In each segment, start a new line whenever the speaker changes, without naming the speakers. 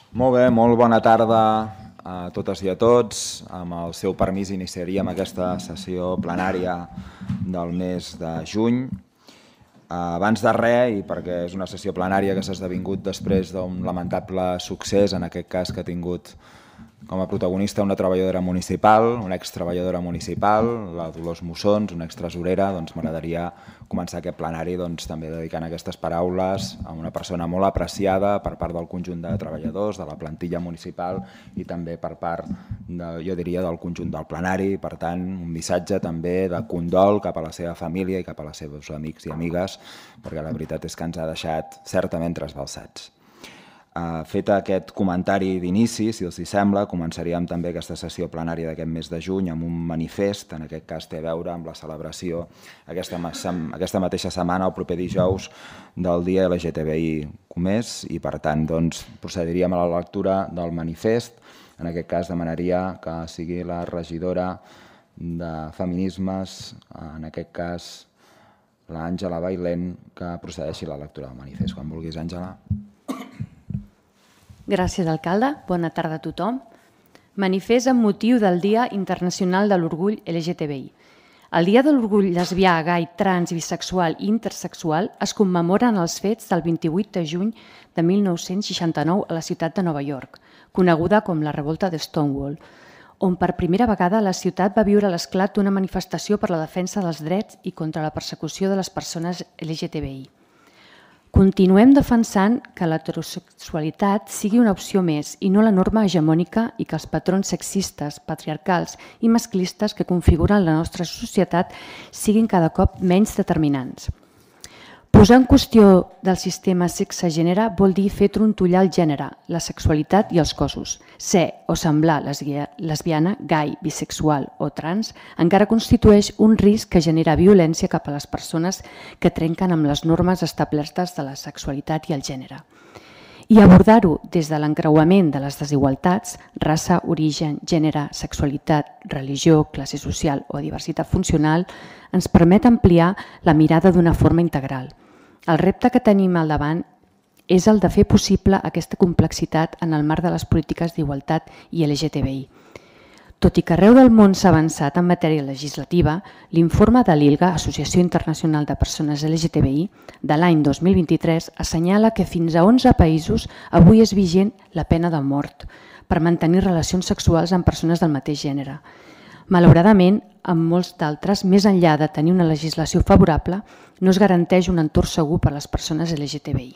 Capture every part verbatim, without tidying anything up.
Molt bé, molt bona tarda a totes i a tots. Amb el seu permís iniciaríem aquesta sessió plenària del mes de juny. Abans de res, i perquè és una sessió plenària que s'ha esdevingut després d'un lamentable succés, en aquest cas que ha tingut com a protagonista una treballadora municipal, una extreballadora municipal, la Dolors Mussons, una extresorera, doncs m'agradaria començar aquest plenari doncs, també dedicant aquestes paraules a una persona molt apreciada per part del conjunt de treballadors, de la plantilla municipal i també per part, de, jo diria, del conjunt del plenari. Per tant, un missatge també de condol cap a la seva família i cap a les seves amics i amigues, perquè la veritat és que ens ha deixat certament trasbalsats. Uh, fet aquest comentari d'inici, si els hi sembla, començaríem també aquesta sessió plenària d'aquest mes de juny amb un manifest, en aquest cas té a veure amb la celebració aquesta, aquesta mateixa setmana, el proper dijous, del dia L G T B I comès, i per tant doncs, procediríem a la lectura del manifest. En aquest cas demanaria que sigui la regidora de Feminismes, en aquest cas l'Àngela Bailén, que procedeixi a la lectura del manifest. Quan vulguis, Àngela.
Gràcies, alcalde. Bona tarda a tothom. Manifest amb motiu del Dia Internacional de l'Orgull L G T B I. El Dia de l'Orgull lesbià, gai, trans, bisexual i intersexual es commemoren els fets del vint-i-vuit de juny de mil nou-cents seixanta-nou a la ciutat de Nova York, coneguda com la Revolta de Stonewall, on per primera vegada la ciutat va viure l'esclat d'una manifestació per la defensa dels drets i contra la persecució de les persones L G T B I. Continuem defensant que l'heterosexualitat sigui una opció més i no la norma hegemònica i que els patrons sexistes, patriarcals i masclistes que configuren la nostra societat siguin cada cop menys determinants. Posar en qüestió del sistema sexe-gènere vol dir fer trontollar el gènere, la sexualitat i els cossos. Ser o semblar lesbiana, gai, bisexual o trans encara constitueix un risc que genera violència cap a les persones que trenquen amb les normes establertes de la sexualitat i el gènere. I abordar-ho des de l'encreuament de les desigualtats, raça, origen, gènere, sexualitat, religió, classe social o diversitat funcional, ens permet ampliar la mirada d'una forma integral. El repte que tenim al davant és el de fer possible aquesta complexitat en el marc de les polítiques d'igualtat i L G T B I. Tot i que arreu del món s'ha avançat en matèria legislativa, l'informe de l'I L G A, Associació Internacional de Persones L G T B I, de l'any dos mil vint-i-tres, assenyala que fins a onze països avui és vigent la pena de mort per mantenir relacions sexuals amb persones del mateix gènere. Malauradament, en molts d'altres, més enllà de tenir una legislació favorable, no es garanteix un entorn segur per a les persones L G T B I.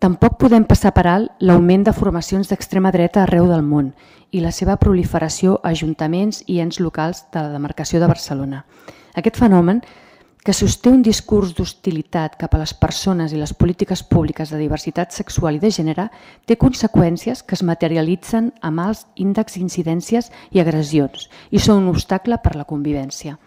Tampoc podem passar per alt l'augment de formacions d'extrema dreta arreu del món i la seva proliferació a ajuntaments i ens locals de la demarcació de Barcelona. Aquest fenomen, que sosté un discurs d'hostilitat cap a les persones i les polítiques públiques de diversitat sexual i de gènere, té conseqüències que es materialitzen amb alts índexs d'incidències i agressions i són un obstacle per la convivència.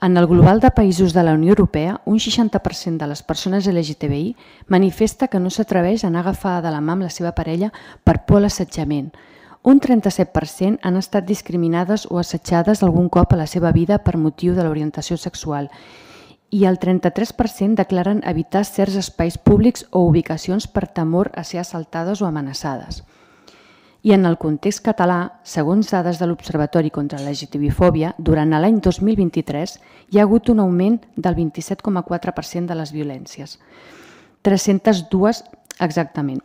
En el global de països de la Unió Europea, un seixanta per cent de les persones L G T B I manifesta que no s'atreveix a anar agafada de la mà amb la seva parella per por a l'assetjament. Un trenta-set per cent han estat discriminades o assetjades algun cop a la seva vida per motiu de l'orientació sexual i el trenta-tres per cent declaren evitar certs espais públics o ubicacions per temor a ser assaltades o amenaçades. I en el context català, segons dades de l'Observatori contra la L G T B I fòbia, durant l'any dos mil vint-i-tres hi ha hagut un augment del vint-i-set coma quatre per cent de les violències, tres-centes dues exactament,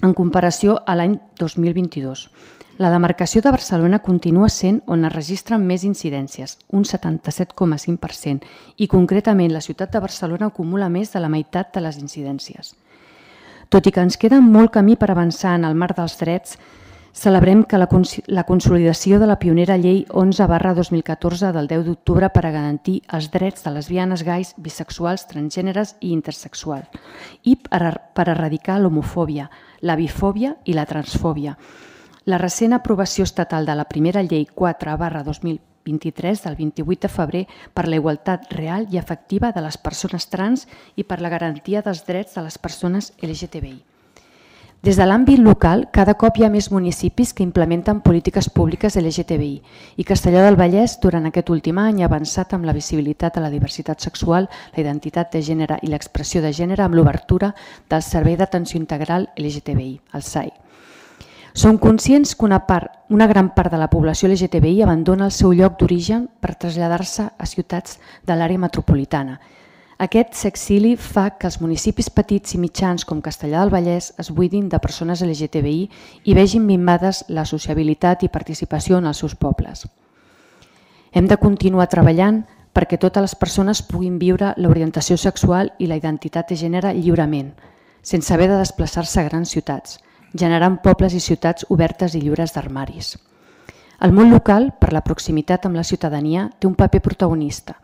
en comparació a l'any dos mil vint-i-dos. La demarcació de Barcelona continua sent on es registren més incidències, un setanta-set coma cinc per cent, i concretament la ciutat de Barcelona acumula més de la meitat de les incidències. Tot i que ens queda molt camí per avançar en el marc dels drets, celebrem que la, cons la consolidació de la pionera llei onze barra dos mil catorze del deu d'octubre per a garantir els drets de lesbianes, gais, bisexuals, transgèneres i intersexuals i per, a, per erradicar l'homofòbia, la bifòbia i la transfòbia. La recent aprovació estatal de la primera llei quatre barra dos mil vint-i-tres del vint-i-vuit de febrer per la igualtat real i efectiva de les persones trans i per la garantia dels drets de les persones L G T B I. Des de l'àmbit local, cada cop hi ha més municipis que implementen polítiques públiques L G T B I i Castellar del Vallès, durant aquest últim any, ha avançat amb la visibilitat a la diversitat sexual, la identitat de gènere i l'expressió de gènere amb l'obertura del Servei d'Atenció Integral L G T B I, el S A I. Som conscients que una, part, una gran part de la població L G T B I abandona el seu lloc d'origen per traslladar-se a ciutats de l'àrea metropolitana. Aquest s'exili fa que els municipis petits i mitjans com Castellar del Vallès es buidin de persones L G T B I i vegin minvades la sociabilitat i participació en els seus pobles. Hem de continuar treballant perquè totes les persones puguin viure l'orientació sexual i la identitat de gènere lliurement, sense haver de desplaçar-se a grans ciutats, generant pobles i ciutats obertes i lliures d'armaris. El món local, per la proximitat amb la ciutadania, té un paper protagonista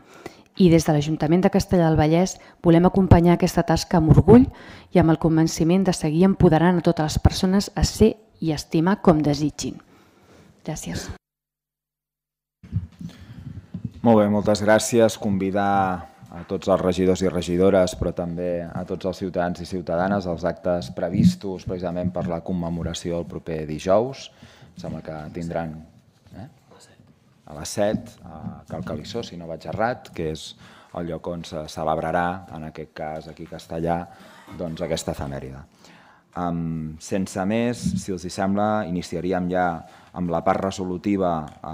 i des de l'Ajuntament de Castellar del Vallès volem acompanyar aquesta tasca amb orgull i amb el convenciment de seguir empoderant a totes les persones a ser i estimar com desitgin. Gràcies.
Molt bé, moltes gràcies. Convidar a tots els regidors i regidores, però també a tots els ciutadans i ciutadanes als actes previstos precisament per la commemoració el proper dijous. Em sembla que tindran eh? a les set a Cal Calissó, si no vaig errat, que és el lloc on se celebrarà, en aquest cas aquí a Castellar, doncs aquesta efemèride. Um, sense més, si els hi sembla, iniciaríem ja amb la part resolutiva a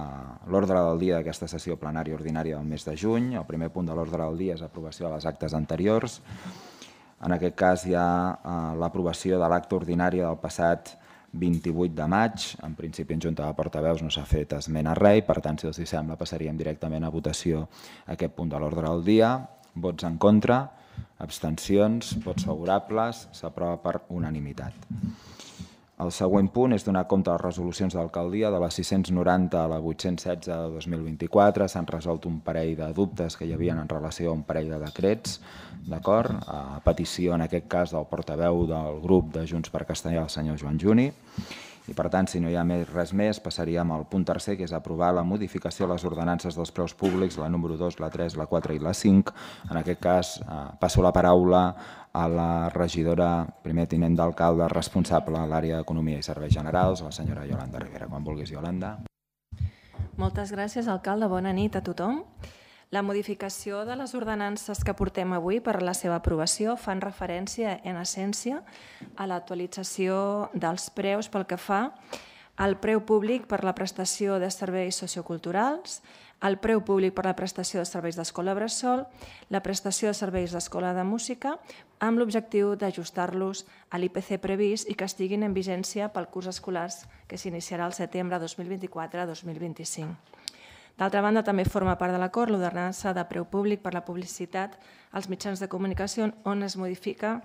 l'ordre del dia d'aquesta sessió plenària ordinària del mes de juny. El primer punt de l'ordre del dia és aprovació de les actes anteriors. En aquest cas hi ha uh, l'aprovació de l'acte ordinari del passat vint-i-vuit de maig. En principi en Junta de Portaveus no s'ha fet esment a res i per tant, si els hi sembla, passaríem directament a votació aquest punt de l'ordre del dia. Vots en contra? Abstencions, vots favorables, s'aprova per unanimitat. El següent punt és donar compte de les resolucions de l'alcaldia de la sis-cents noranta a la vuit-cents setze de dos mil vint-i-quatre. S'han resolt un parell de dubtes que hi havia en relació a un parell de decrets, d'acord? A petició, en aquest cas, del portaveu del grup de Junts per Castellar, el senyor Joan Juni. I per tant, si no hi ha més, res més, passaríem al punt tercer, que és aprovar la modificació de les ordenances dels preus públics, la número dos, la tres, la quatre i la cinc. En aquest cas, eh, passo la paraula a la regidora, primer tinent d'alcalde, responsable a l'àrea d'Economia i Serveis Generals, la senyora Yolanda Rivera. Quan vulguis, Yolanda.
Moltes gràcies, alcalde. Bona nit a tothom. La modificació de les ordenances que portem avui per a la seva aprovació fan referència, en essència, a l'actualització dels preus pel que fa al preu públic per la prestació de serveis socioculturals, el preu públic per la prestació de serveis d'escola bressol, la prestació de serveis d'escola de música, amb l'objectiu d'ajustar-los a l'I P C previst i que estiguin en vigència pel curs escolar que s'iniciarà el setembre dos mil vint-i-quatre a dos mil vint-i-cinc. D'altra banda, també forma part de l'acord l'ordenança de preu públic per la publicitat als mitjans de comunicació, on es modifica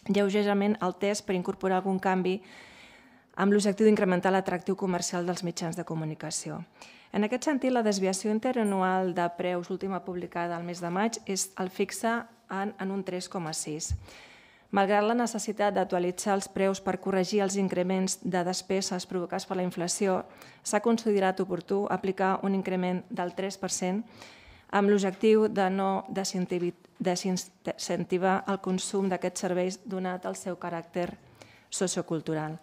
lleugerament el text per incorporar algun canvi amb l'objectiu d'incrementar l'atractiu comercial dels mitjans de comunicació. En aquest sentit, la desviació interanual de preus última publicada al mes de maig és el fixa en, en un tres coma sis. Malgrat la necessitat d'actualitzar els preus per corregir els increments de despeses provocats per la inflació, s'ha considerat oportú aplicar un increment del tres per cent amb l'objectiu de no desincentivar el consum d'aquests serveis donat el seu caràcter sociocultural.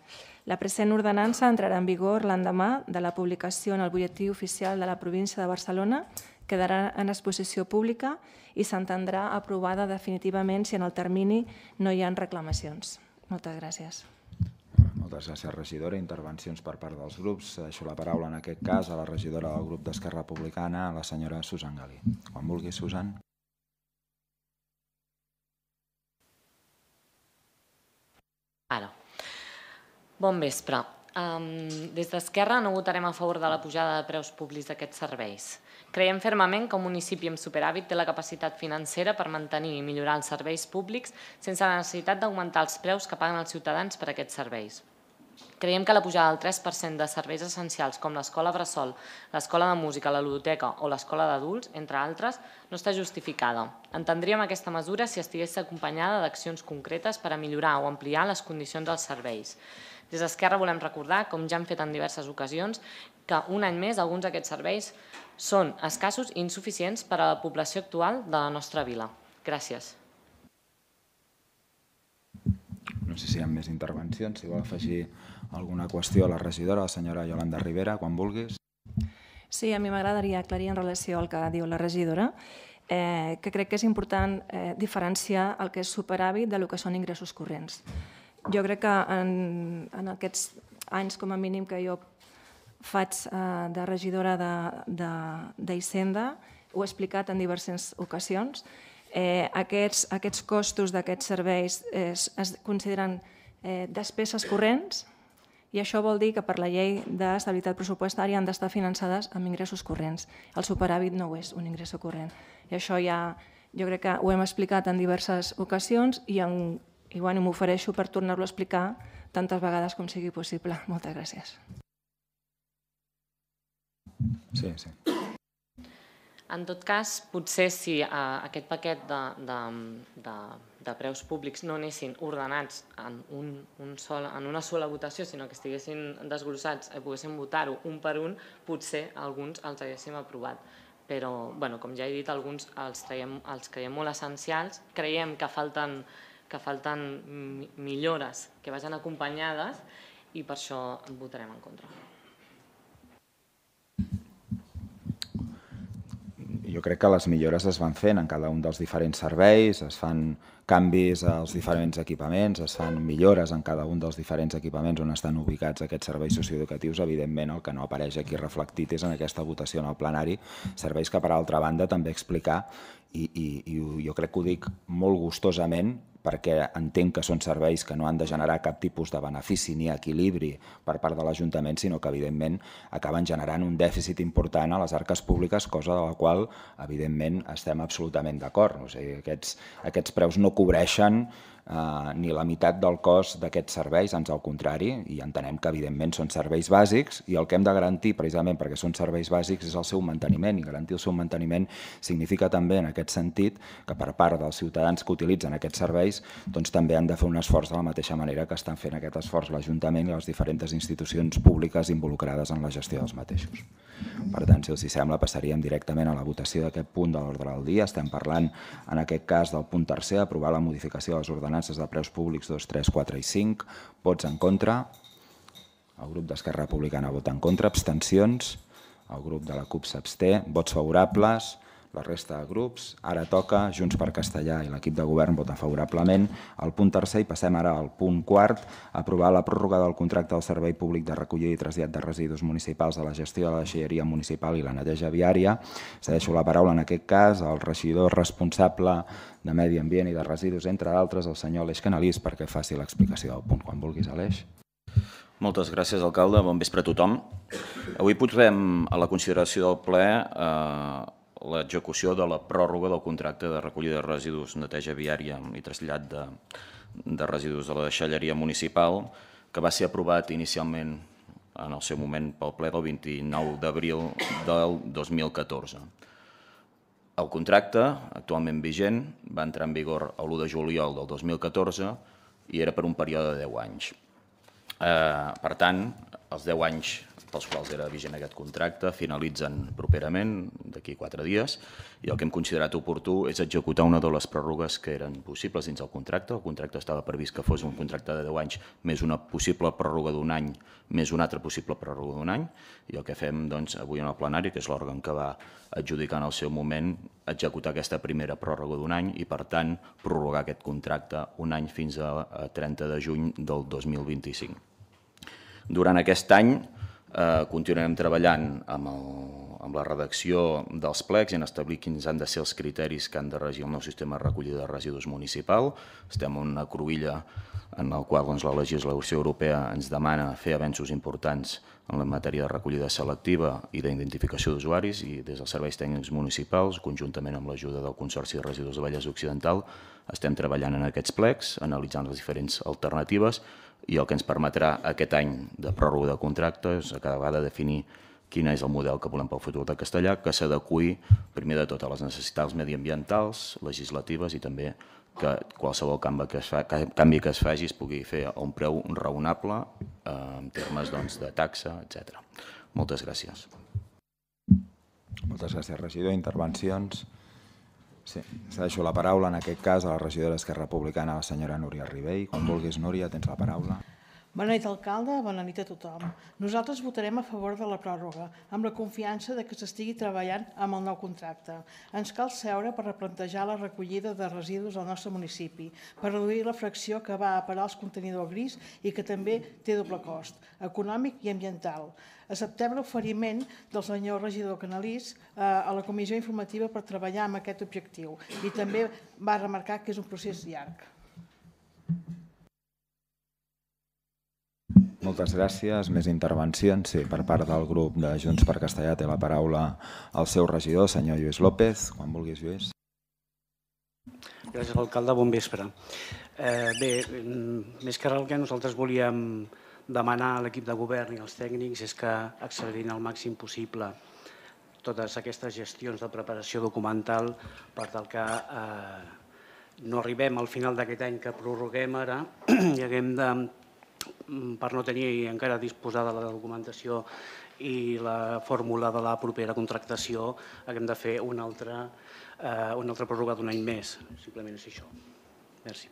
La present ordenança entrarà en vigor l'endemà de la publicació en el butlletí oficial de la província de Barcelona, quedarà en exposició pública i s'entendrà aprovada definitivament si en el termini no hi ha reclamacions. Moltes gràcies.
Moltes gràcies, regidora. Intervencions per part dels grups. Deixo la paraula en aquest cas a la regidora del grup d'Esquerra Republicana, la senyora Susan Galí. Quan vulgui, Susan.
Ara. Bon vespre. Um, des d'Esquerra no votarem a favor de la pujada de preus públics d'aquests serveis. Creiem fermament que un municipi amb superàvit té la capacitat financera per mantenir i millorar els serveis públics sense la necessitat d'augmentar els preus que paguen els ciutadans per aquests serveis. Creiem que la pujada del tres per cent de serveis essencials com l'escola bressol, l'escola de música, la ludoteca o l'escola d'adults, entre altres, no està justificada. Entendríem aquesta mesura si estigués acompanyada d'accions concretes per a millorar o ampliar les condicions dels serveis. Des d'Esquerra volem recordar, com ja hem fet en diverses ocasions, que un any més alguns d'aquests serveis són escassos i insuficients per a la població actual de la nostra vila. Gràcies.
No sé si hi ha més intervencions. Si vol afegir alguna qüestió a la regidora, la senyora Yolanda Rivera, quan vulguis.
Sí, a mi m'agradaria aclarir en relació al que diu la regidora, eh, que crec que és important eh, diferenciar el que és superàvit del que són ingressos corrents. Jo crec que en, en aquests anys com a mínim que jo faig de regidora d'Hisenda, ho he explicat en diverses ocasions. Aquests costos d'aquests serveis es consideren despeses corrents i això vol dir que per la llei d'estabilitat pressupostària han d'estar finançades amb ingressos corrents. El superàvit no ho és un ingrés corrent. I això ja jo crec que ho hem explicat en diverses ocasions i m'ofereixo per tornar-lo a explicar tantes vegades com sigui possible. Moltes gràcies.
Sí, sí.
En tot cas, potser si aquest paquet de preus públics no anessin ordenats en una sola votació, sinó que estiguessin desglossats i poguéssim votar-ho un per un, potser alguns els haguéssim aprovat. Però, com ja he dit, alguns els creiem molt essencials, creiem que falten millores que vagin acompanyades i per això votarem en contra.
Jo crec que les millores es van fent en cada un dels diferents serveis, es fan canvis als diferents equipaments, es fan millores en cada un dels diferents equipaments on estan ubicats aquests serveis socioeducatius. Evidentment, el que no apareix aquí reflectit és en aquesta votació en el plenari, serveis que, per altra banda, també explicar, i jo crec que ho dic molt gustosament, perquè entenc que són serveis que no han de generar cap tipus de benefici ni equilibri per part de l'Ajuntament, sinó que, evidentment, acaben generant un dèficit important a les arques públiques, cosa de la qual, evidentment, estem absolutament d'acord. Aquests preus no cobreixen ni la meitat del cost d'aquests serveis, ans al contrari, i entenem que, evidentment, són serveis bàsics i el que hem de garantir, precisament perquè són serveis bàsics, és el seu manteniment, i garantir el seu manteniment significa també, en aquest sentit, que per part dels ciutadans que utilitzen aquests serveis doncs també han de fer un esforç de la mateixa manera que estan fent aquest esforç l'Ajuntament i les diferents institucions públiques involucrades en la gestió dels mateixos. Per tant, si els sembla, passaríem directament a la votació d'aquest punt de l'ordre del dia. Estem parlant, en aquest cas, del punt tercer, aprovar la modificació de les ordenances de preus públics dos, tres, quatre i cinc. Vots en contra. El grup d'Esquerra Republicana vota en contra. Abstencions. El grup de la CUP s'absté. Vots favorables. La resta de grups. Ara toca Junts per Castellà i l'equip de govern voten favorablement al punt tercer i passem ara al punt quart, aprovar la pròrroga del contracte del Servei Públic de Recollida i Trasllat de Residus Municipals de la gestió de la deixalleria municipal i la neteja viària. Cedeixo la paraula en aquest cas al regidor responsable de Medi Ambient i de Residus, entre d'altres, el senyor Aleix Canalís, perquè faci l'explicació del punt. Quan vulguis, Aleix.
Moltes gràcies, alcalde. Bon vespre a tothom. Avui posem a la consideració del ple l'execució de la pròrroga del contracte de recollida de residus, neteja viària i trasllat de residus de la deixalleria municipal, que va ser aprovat inicialment en el seu moment pel ple del vint-i-nou d'abril del dos mil catorze. El contracte, actualment vigent, va entrar en vigor l'u de juliol del dos mil catorze i era per un període de deu anys. Per tant, els deu anys pels quals era vigent aquest contracte finalitzen properament, d'aquí quatre dies, i el que hem considerat oportú és executar una de les pròrrogues que eren possibles dins el contracte. El contracte estava previst que fos un contracte de deu anys més una possible pròrroga d'un any, més una altra possible pròrroga d'un any, i el que fem avui en el plenari, que és l'òrgan que va adjudicar en el seu moment, executar aquesta primera pròrroga d'un any i, per tant, prorrogar aquest contracte un any fins a trenta de juny del dos mil vint-i-cinc. Durant aquest any continuarem treballant amb la redacció dels plecs i en establir quins han de ser els criteris que han de regir el nou sistema de recollida de residus municipal. Estem en una cruïlla en la qual la legislació europea ens demana fer avenços importants en la matèria de recollida selectiva i d'identificació d'usuaris, i des dels serveis tècnics municipals, conjuntament amb l'ajuda del Consorci de Residus de Vallès Occidental, estem treballant en aquests plecs, analitzant les diferents alternatives, i el que ens permetrà aquest any de pròrroga de contracte és a cada vegada definir quin és el model que volem pel futur de Castellà, que s'adeqüi primer de tot a les necessitats mediambientals, legislatives, i també que qualsevol canvi que es faci es pugui fer a un preu raonable en termes de taxa, etcètera. Moltes gràcies.
Moltes gràcies, regidor. Intervencions? Sí, cedeixo la paraula, en aquest cas, a la regidora d'Esquerra Republicana, la senyora Núria Ribell. Quan vulguis, Núria, tens la paraula.
Bona nit, alcalde, bona nit a tothom. Nosaltres votarem a favor de la pròrroga, amb la confiança de que s'estigui treballant amb el nou contracte. Ens cal seure per replantejar la recollida de residus al nostre municipi, per reduir la fracció que va a parar als contenidors gris i que també té doble cost, econòmic i ambiental. Acceptem l'oferiment del senyor regidor Canalís a la comissió informativa per treballar amb aquest objectiu i també va remarcar que és un procés llarg.
Moltes gràcies. Més intervencions? Sí, per part del grup de Junts per Castellà té la paraula el seu regidor, senyor Lluís López. Quan vulguis, Lluís.
Gràcies, alcalde. Bon vespre. Bé, més que res el que nosaltres volíem demanar a l'equip de govern i als tècnics és que accelerin al màxim possible totes aquestes gestions de preparació documental per tal que no arribem al final d'aquest any que prorroguem ara i haguem de, per no tenir encara disposada la documentació i la fórmula de la propera contractació, haguem de fer una altra, una altra pròrroga d'un any més. Simplement és això. Merci.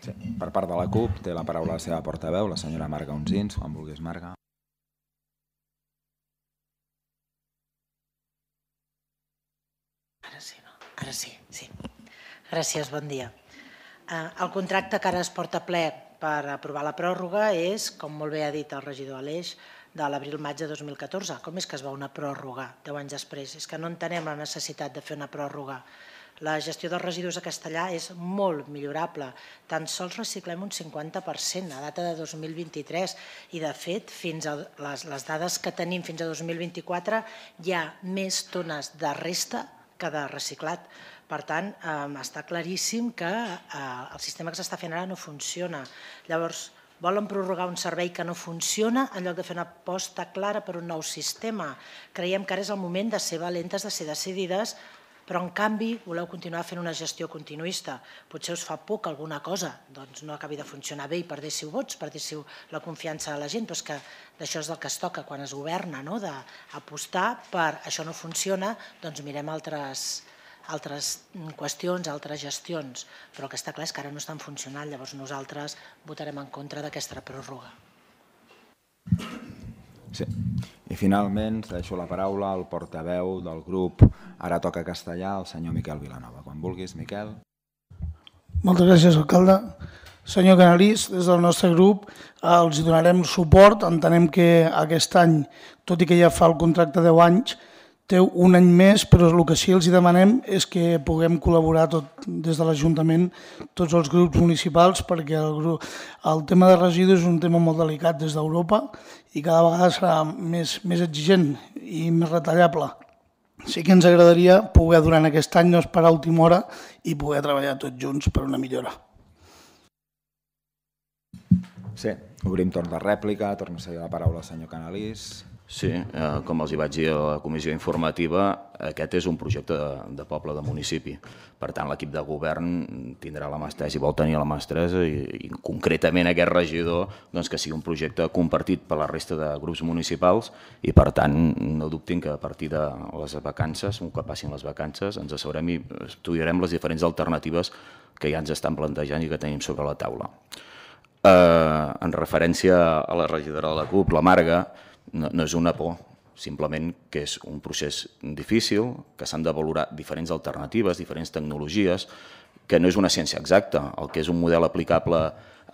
Sí, per part de la CUP té la paraula la seva portaveu, la senyora Marga Unsins. Quan vulguis, Marga.
Ara sí, no? Ara sí, sí. Gràcies, bon dia. El contracte que ara es porta ple per aprovar la pròrroga és, com molt bé ha dit el regidor Aleix, de l'abril-maig de dos mil catorze. Com és que es va una pròrroga deu anys després? És que no entenem la necessitat de fer una pròrroga. La gestió dels residus a Castellà és molt millorable. Tan sols reciclem un cinquanta per cent a data de dos mil vint-i-tres i, de fet, fins a les, les dades que tenim fins a dos mil vint-i-quatre hi ha més tones de resta que de reciclat. Per tant, està claríssim que el sistema que s'està fent ara no funciona. Llavors, volen prorrogar un servei que no funciona en lloc de fer una aposta clara per un nou sistema. Creiem que ara és el moment de ser valentes, de ser decidides, però en canvi voleu continuar fent una gestió continuista. Potser us fa por que alguna cosa no acabi de funcionar bé i perdéssiu vots, perdéssiu la confiança de la gent, però és que d'això és del que es toca quan es governa, d'apostar per això no funciona, doncs mirem altres altres qüestions, altres gestions, però el que està clar és que ara no estan funcionant, llavors nosaltres votarem en contra d'aquesta pròrroga.
Sí. I finalment deixo la paraula al portaveu del grup Ara Toca Castellà, el senyor Miquel Vilanova. Quan vulguis, Miquel.
Moltes gràcies, alcalde. Senyor Canalís, des del nostre grup els donarem suport. Entenem que aquest any, tot i que ja fa el contracte deu anys, té un any més, però el que sí els demanem és que puguem col·laborar tot des de l'Ajuntament, tots els grups municipals, perquè el, grup, el tema de residus és un tema molt delicat des d'Europa i cada vegada serà més, més exigent i més retallable. Sí que ens agradaria poder durant aquest any no esperar a última hora i poder treballar tots junts per una millora.
Sí, obrim torn de rèplica, torna a seguir la paraula al senyor Canalís.
Sí, com els hi vaig dir a la comissió informativa, aquest és un projecte de poble, de municipi. Per tant, l'equip de govern tindrà la mà estesa i vol tenir la mà estesa i concretament aquest regidor que sigui un projecte compartit per la resta de grups municipals i per tant no dubtin que a partir de les vacances, un cop passin les vacances, ens asseurem i estudiarem les diferents alternatives que ja ens estan plantejant i que tenim sobre la taula. En referència a la regidora de la CUP, la Marga, no és una por, simplement que és un procés difícil, que s'han de valorar diferents alternatives, diferents tecnologies, que no és una ciència exacta. El que és un model aplicable,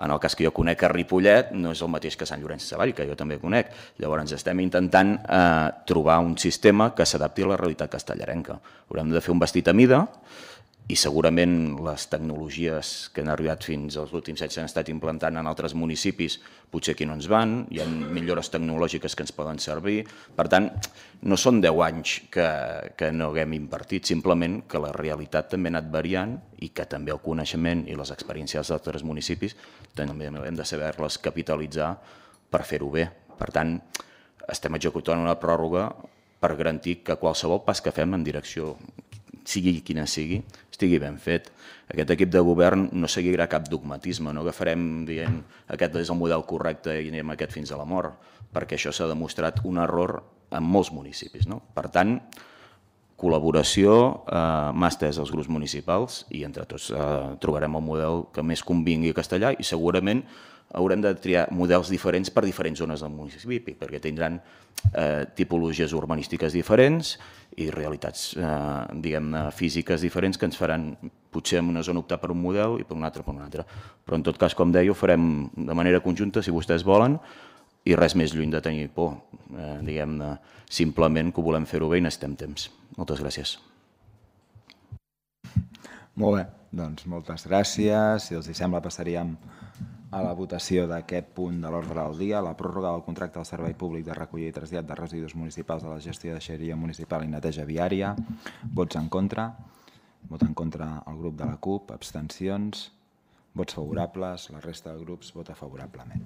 en el cas que jo conec a Ripollet, no és el mateix que a Sant Llorenç Savall, que jo també conec. Llavors estem intentant trobar un sistema que s'adapti a la realitat castellarenca. Haurem de fer un vestit a mida, i segurament les tecnologies que han arribat fins als últims anys s'han estat implantant en altres municipis, potser aquí no ens van, hi ha millores tecnològiques que ens poden servir. Per tant, no són deu anys que no haguem invertit, simplement que la realitat també ha anat variant i que també el coneixement i les experiències d'altres municipis també hem de saber-les capitalitzar per fer-ho bé. Per tant, estem executant una pròrroga per garantir que qualsevol pas que fem en direcció sigui quina sigui, estigui ben fet. Aquest equip de govern no seguirà cap dogmatisme, no agafarem dient aquest és el model correcte i anem aquest fins a la mort, perquè això s'ha demostrat un error en molts municipis. Per tant, col·laboració, mà estesa als grups municipals i entre tots trobarem el model que més convingui a Castellar i segurament haurem de triar models diferents per diferents zones del municipi perquè tindran tipologies urbanístiques diferents i realitats diguem-ne físiques diferents que ens faran potser en una zona optar per un model i per un altre per un altre. Però en tot cas, com deia, ho farem de manera conjunta si vostès volen i res més lluny de tenir por, diguem-ne, simplement que ho volem fer-ho bé i necessitem temps. Moltes gràcies.
Molt bé, doncs moltes gràcies. Si els sembla passaríem a la votació d'aquest punt de l'ordre del dia, la pròrroga del contracte del Servei Públic de Recollida i Trasllat de Residus Municipals de la Gestió de Deixalleria Municipal i Neteja Viària. Vots en contra. Vot en contra el grup de la CUP. Abstencions. Vots favorables. La resta de grups vota favorablement.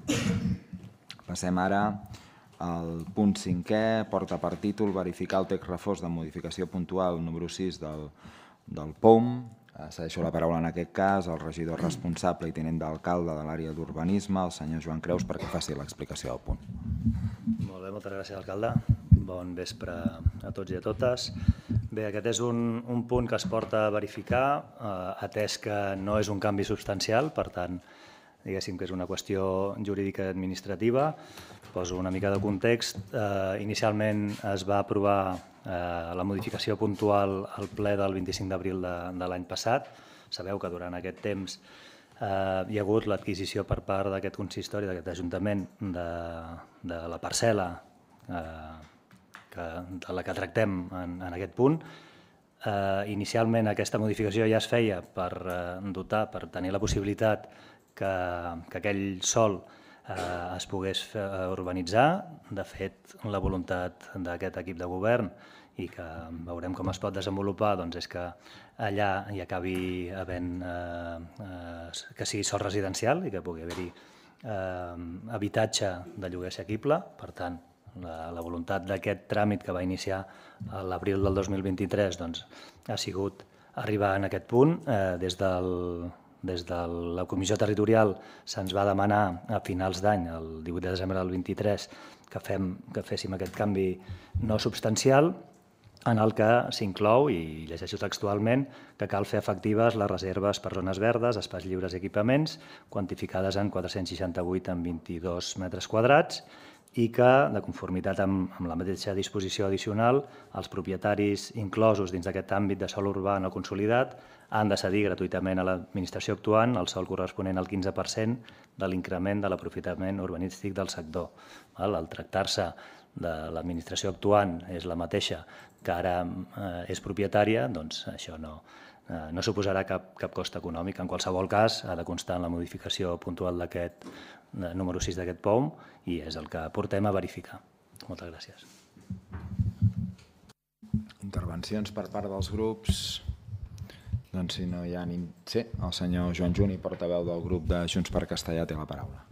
Passem ara al punt cinquè, porta per títol verificar el text refós de modificació puntual número sis del P O M. Cedeixo la paraula en aquest cas al regidor responsable i tinent d'alcalde de l'àrea d'urbanisme, el senyor Joan Creus, perquè faci l'explicació del punt.
Molt bé, moltes gràcies, alcalde. Bon vespre a tots i a totes. Bé, aquest és un, un punt que es porta a verificar, eh, atès que no és un canvi substancial, per tant, diguéssim que és una qüestió jurídica i administrativa. Poso una mica de context. Eh, inicialment es va aprovar eh, la modificació puntual al ple del vint-i-cinc d'abril de, de l'any passat. Sabeu que durant aquest temps eh, hi ha hagut l'adquisició per part d'aquest consistori, d'aquest ajuntament, de, de la parcel·la eh, que, de la que tractem en, en aquest punt. Eh, inicialment aquesta modificació ja es feia per eh, dotar, per tenir la possibilitat que, que aquell sòl eh, es pogués fer, urbanitzar. De fet, la voluntat d'aquest equip de govern i que veurem com es pot desenvolupar doncs és que allà hi acabi havent eh, eh, que sigui sòl residencial i que pugui haver-hi eh, habitatge de lloguer assequible. Per tant, la, la voluntat d'aquest tràmit que va iniciar a l'abril del dos mil vint-i-tres doncs, ha sigut arribar en aquest punt. Eh, des del Des de la Comissió Territorial se'ns va demanar a finals d'any, el divuit de desembre del vint-i-tres, que, fem, que féssim aquest canvi no substancial, en el que s'inclou, i llegeixo textualment, que cal fer efectives les reserves per zones verdes, espais lliures i equipaments, quantificades en quatre-cents seixanta-vuit en vint-i-dos metres quadrats, i que, de conformitat amb, amb la mateixa disposició addicional, els propietaris inclosos dins d'aquest àmbit de sòl urbà no consolidat han de cedir gratuïtament a l'administració actuant el sòl corresponent al quinze per cent de l'increment de l'aprofitament urbanístic del sector. Al tractar-se de l'administració actuant és la mateixa que ara és propietària, doncs això no, no suposarà cap, cap cost econòmic. En qualsevol cas, ha de constar en la modificació puntual d'aquest número sis d'aquest P O M i és el que portem a verificar. Moltes gràcies.
Intervencions per part dels grups. Doncs si no hi ha ni... Sí, el senyor Joan Juni, portaveu del grup de Junts per Castellar, té la paraula.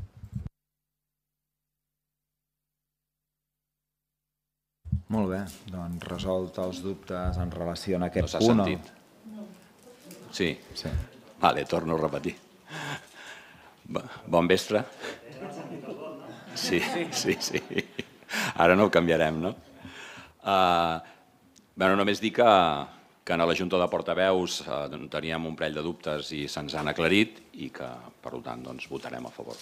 Molt bé, doncs resolt els dubtes en relació a aquest
no
punt.
No s'ha sentit? Sí. sí. Vale, torno a repetir. Bon vespre. Sí, sí, sí. Ara no ho canviarem, no? Uh, bueno, només dir que, que a la Junta de Portaveus uh, teníem un parell de dubtes i se'ns han aclarit i que, per tant, doncs, votarem a favor.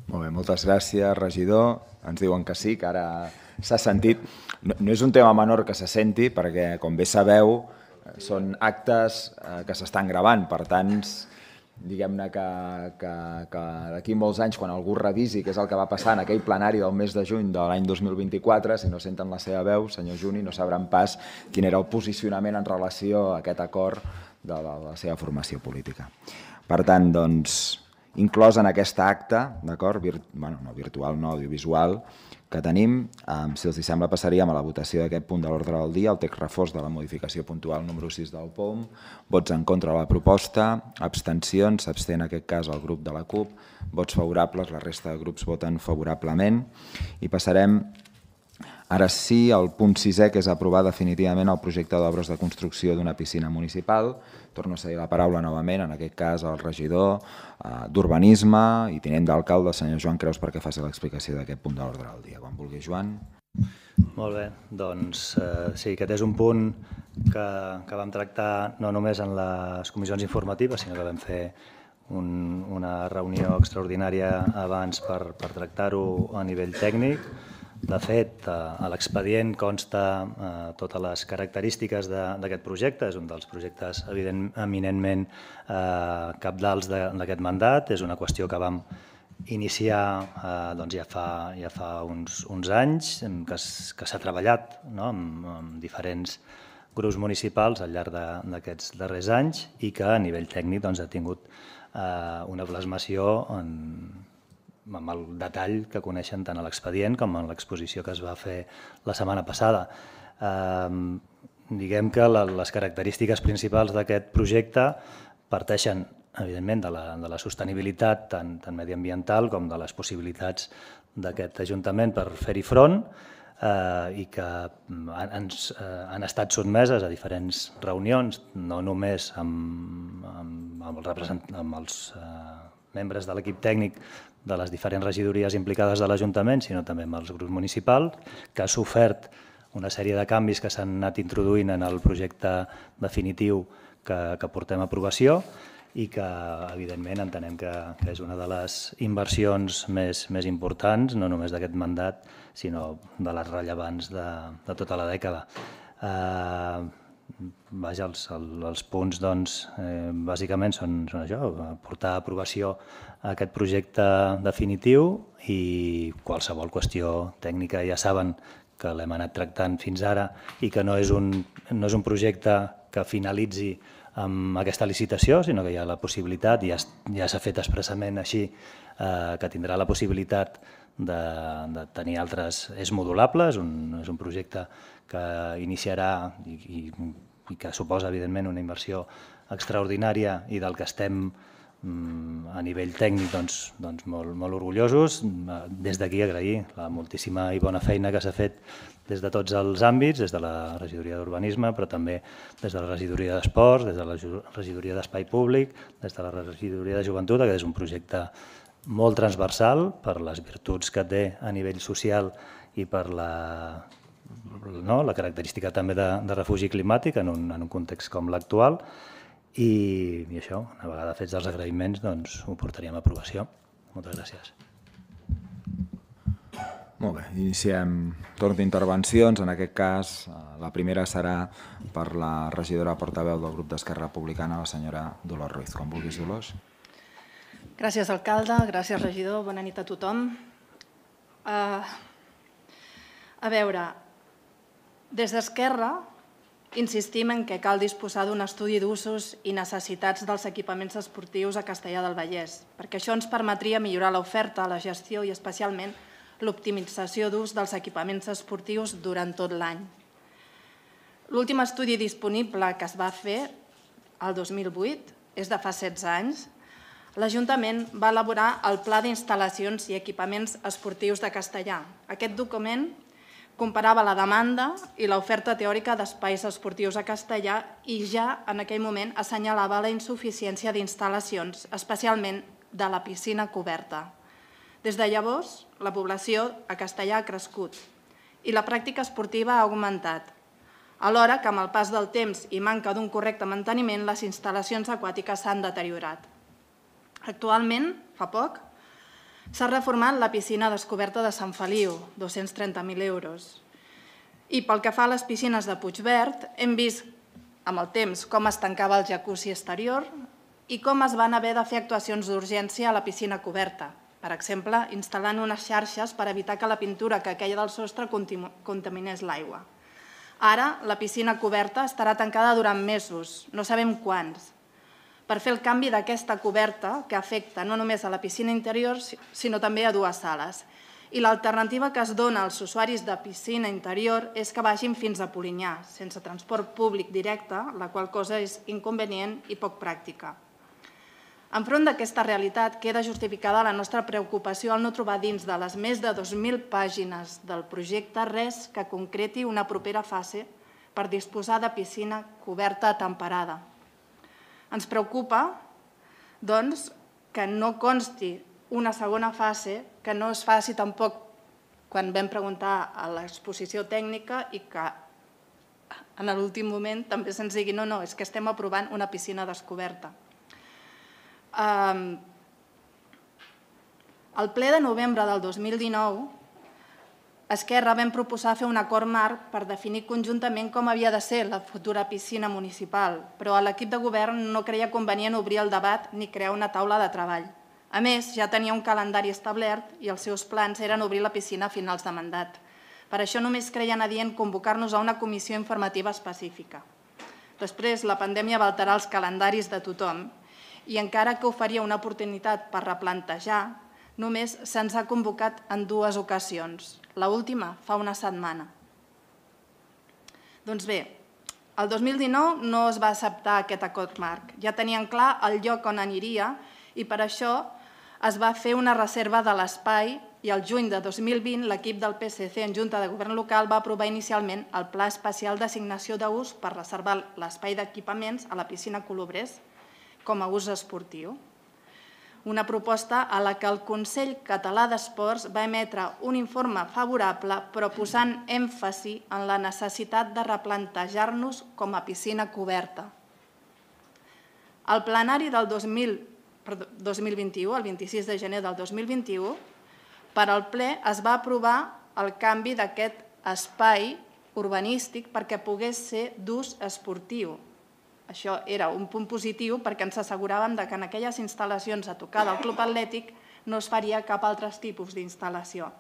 Molt bé, moltes gràcies, regidor. Ens diuen que sí, que ara s'ha sentit. No, no és un tema menor que se senti, perquè, com bé sabeu, són actes eh, que s'estan gravant. Per tant, diguem-ne que, que, que d'aquí molts anys, quan algú revisi què és el que va passar en aquell plenari del mes de juny de l'any dos mil vint-i-quatre, si no senten la seva veu, senyor Juni, no sabran pas quin era el posicionament en relació a aquest acord de la, de la seva formació política. Per tant, doncs, inclòs en aquesta acta, d'acord, Virt, bueno, no virtual, no audiovisual, que tenim, eh, si els sembla passaríem a la votació d'aquest punt de l'ordre del dia, el text refós de la modificació puntual número sis del P O M, vots en contra de la proposta, abstencions, s'abstén en aquest cas el grup de la CUP, vots favorables, la resta de grups voten favorablement, i passarem ara sí al punt sisè, que és aprovar definitivament el projecte d'obres de construcció d'una piscina municipal. Torno a cedir la paraula novament, en aquest cas al regidor eh, d'Urbanisme i tinent d'alcalde, el senyor Joan Creus, perquè faci l'explicació d'aquest punt de l'ordre del dia. Quan vulgui, Joan.
Molt bé, doncs sí, aquest és un punt que vam tractar no només en les comissions informatives, sinó que vam fer una reunió extraordinària abans per tractar-ho a nivell tècnic. De fet, a l'expedient consta totes les característiques d'aquest projecte. És un dels projectes eminentment cabdals d'aquest mandat. És una qüestió que vam iniciar ja fa uns anys, que s'ha treballat amb diferents grups municipals al llarg d'aquests darrers anys i que a nivell tècnic ha tingut una plasmació amb el detall que coneixen tant a l'expedient com en l'exposició que es va fer la setmana passada. Diguem que les característiques principals d'aquest projecte parteixen, evidentment, de la sostenibilitat tant mediambiental com de les possibilitats d'aquest Ajuntament per fer-hi front i que han estat sotmeses a diferents reunions, no només amb els membres de l'equip tècnic de les diferents regidories implicades de l'Ajuntament, sinó també amb els grups municipals, que ha sofert una sèrie de canvis que s'han anat introduint en el projecte definitiu que portem a aprovació i que, evidentment, entenem que és una de les inversions més importants, no només d'aquest mandat, sinó de les rellevants de tota la dècada. Vaja, els punts, doncs, bàsicament són això, portar a aprovació aquest projecte definitiu i qualsevol qüestió tècnica ja saben que l'hem anat tractant fins ara i que no és un projecte que finalitzi amb aquesta licitació, sinó que hi ha la possibilitat, i ja s'ha fet expressament així, que tindrà la possibilitat de tenir altres... És modulable, és un projecte que iniciarà i que suposa, evidentment, una inversió extraordinària i del que estem a nivell tècnic molt orgullosos. Des d'aquí agrair la moltíssima i bona feina que s'ha fet des de tots els àmbits, des de la regidoria d'Urbanisme, però també des de la regidoria d'Esports, des de la regidoria d'Espai Públic, des de la regidoria de Joventut, que és un projecte molt transversal per les virtuts que té a nivell social i per la característica també de refugi climàtic en un context com l'actual. I això, una vegada fets els agraïments, doncs ho portaríem a aprovació. Moltes gràcies.
Molt bé, iniciem torn d'intervencions. En aquest cas, la primera serà per la regidora portaveu del grup d'Esquerra Republicana, la senyora Dolors Ruiz. Com vulguis, Dolors.
Gràcies, alcalde. Gràcies, regidor. Bona nit a tothom. A veure, des d'Esquerra insistim en que cal disposar d'un estudi d'usos i necessitats dels equipaments esportius a Castellar del Vallès, perquè això ens permetria millorar l'oferta, la gestió i especialment l'optimització d'ús dels equipaments esportius durant tot l'any. L'últim estudi disponible que es va fer, el dos mil vuit, és de fa setze anys. L'Ajuntament va elaborar el Pla d'Instal·lacions i Equipaments Esportius de Castellar. Aquest document comparava la demanda i l'oferta teòrica d'espais esportius a Castellar i ja en aquell moment assenyalava la insuficiència d'instal·lacions, especialment de la piscina coberta. Des de llavors, la població a Castellar ha crescut i la pràctica esportiva ha augmentat, alhora que amb el pas del temps i manca d'un correcte manteniment, les instal·lacions aquàtiques s'han deteriorat. Actualment, fa poc, s'ha reformat la piscina descoberta de Sant Feliu, dos-cents trenta mil euros. I pel que fa a les piscines de Puigverd, hem vist amb el temps com es tancava el jacuzzi exterior i com es van haver de fer actuacions d'urgència a la piscina coberta. Per exemple, instal·lant unes xarxes per evitar que la pintura que queia del sostre contaminés l'aigua. Ara, la piscina coberta estarà tancada durant mesos, no sabem quants, per fer el canvi d'aquesta coberta que afecta no només a la piscina interior, sinó també a dues sales. I l'alternativa que es dona als usuaris de piscina interior és que vagin fins a Polinyà, sense transport públic directe, la qual cosa és inconvenient i poc pràctica. Enfront d'aquesta realitat queda justificada la nostra preocupació al no trobar dins de les més de dos mil pàgines del projecte res que concreti una propera fase per disposar de piscina coberta temperada. Ens preocupa, doncs, que no consti una segona fase, que no es faci tampoc quan vam preguntar a l'exposició tècnica i que en l'últim moment també se'ns digui no, no, és que estem aprovant una piscina descoberta. Al ple de novembre del dos mil dinou, Esquerra vam proposar fer un acord marc per definir conjuntament com havia de ser la futura piscina municipal, però l'equip de govern no creia convenient obrir el debat ni crear una taula de treball. A més, ja tenia un calendari establert i els seus plans eren obrir la piscina a finals de mandat. Per això només creien adient convocar-nos a una comissió informativa específica. Després, la pandèmia va alterar els calendaris de tothom i encara que oferia una oportunitat per replantejar, només se'ns ha convocat en dues ocasions. L'última fa una setmana. Doncs bé, el dos mil dinou no es va acceptar aquest acord marc. Ja tenien clar el lloc on aniria i per això es va fer una reserva de l'espai i el juny de dos mil vint l'equip del P S C en Junta de Govern Local va aprovar inicialment el Pla Especial d'Assignació d'Ús per reservar l'espai d'equipaments a la piscina Colobrers com a ús esportiu. Una proposta a la que el Consell Català d'Esports va emetre un informe favorable però posant èmfasi en la necessitat de replantejar-nos com a piscina coberta. Al plenari del dos mil vint-i-u, el vint-i-sis de gener del dos mil vint-i-u, per al ple es va aprovar el canvi d'aquest espai urbanístic perquè pogués ser d'ús esportiu. Això era un punt positiu perquè ens asseguràvem que en aquelles instal·lacions a tocar del Club Atlètic no es faria cap altre tipus d'instal·lació.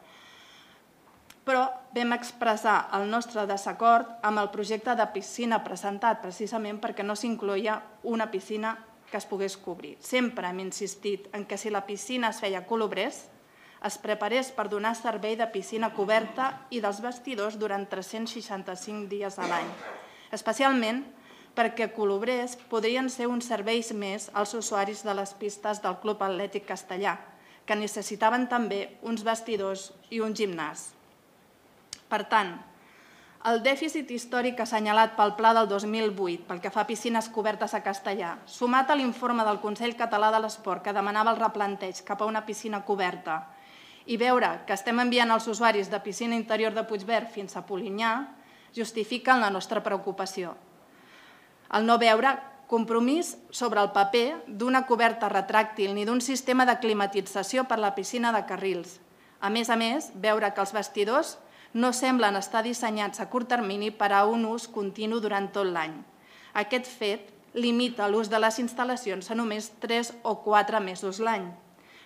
Però vam expressar el nostre desacord amb el projecte de piscina presentat precisament perquè no s'incloïa una piscina que es pogués cobrir. Sempre hem insistit en que si la piscina es feia a Colobrers, es preparés per donar servei de piscina coberta i dels vestidors durant tres-cents seixanta-cinc dies a l'any. Especialment perquè Colobrers podrien ser uns serveis més als usuaris de les pistes del Club Atlètic Castellà, que necessitaven també uns vestidors i un gimnàs. Per tant, el dèficit històric assenyalat pel Pla del dos mil vuit pel que fa a piscines cobertes a Castellà, sumat a l'informe del Consell Català de l'Esport que demanava el replanteig cap a una piscina coberta i veure que estem enviant els usuaris de piscina interior de Puigverd fins a Polinyà, justifiquen la nostra preocupació. El no veure compromís sobre el paper d'una coberta retràctil ni d'un sistema de climatització per la piscina de Carrils. A més a més, veure que els vestidors no semblen estar dissenyats a curt termini per a un ús continu durant tot l'any. Aquest fet limita l'ús de les instal·lacions a només tres o quatre mesos l'any.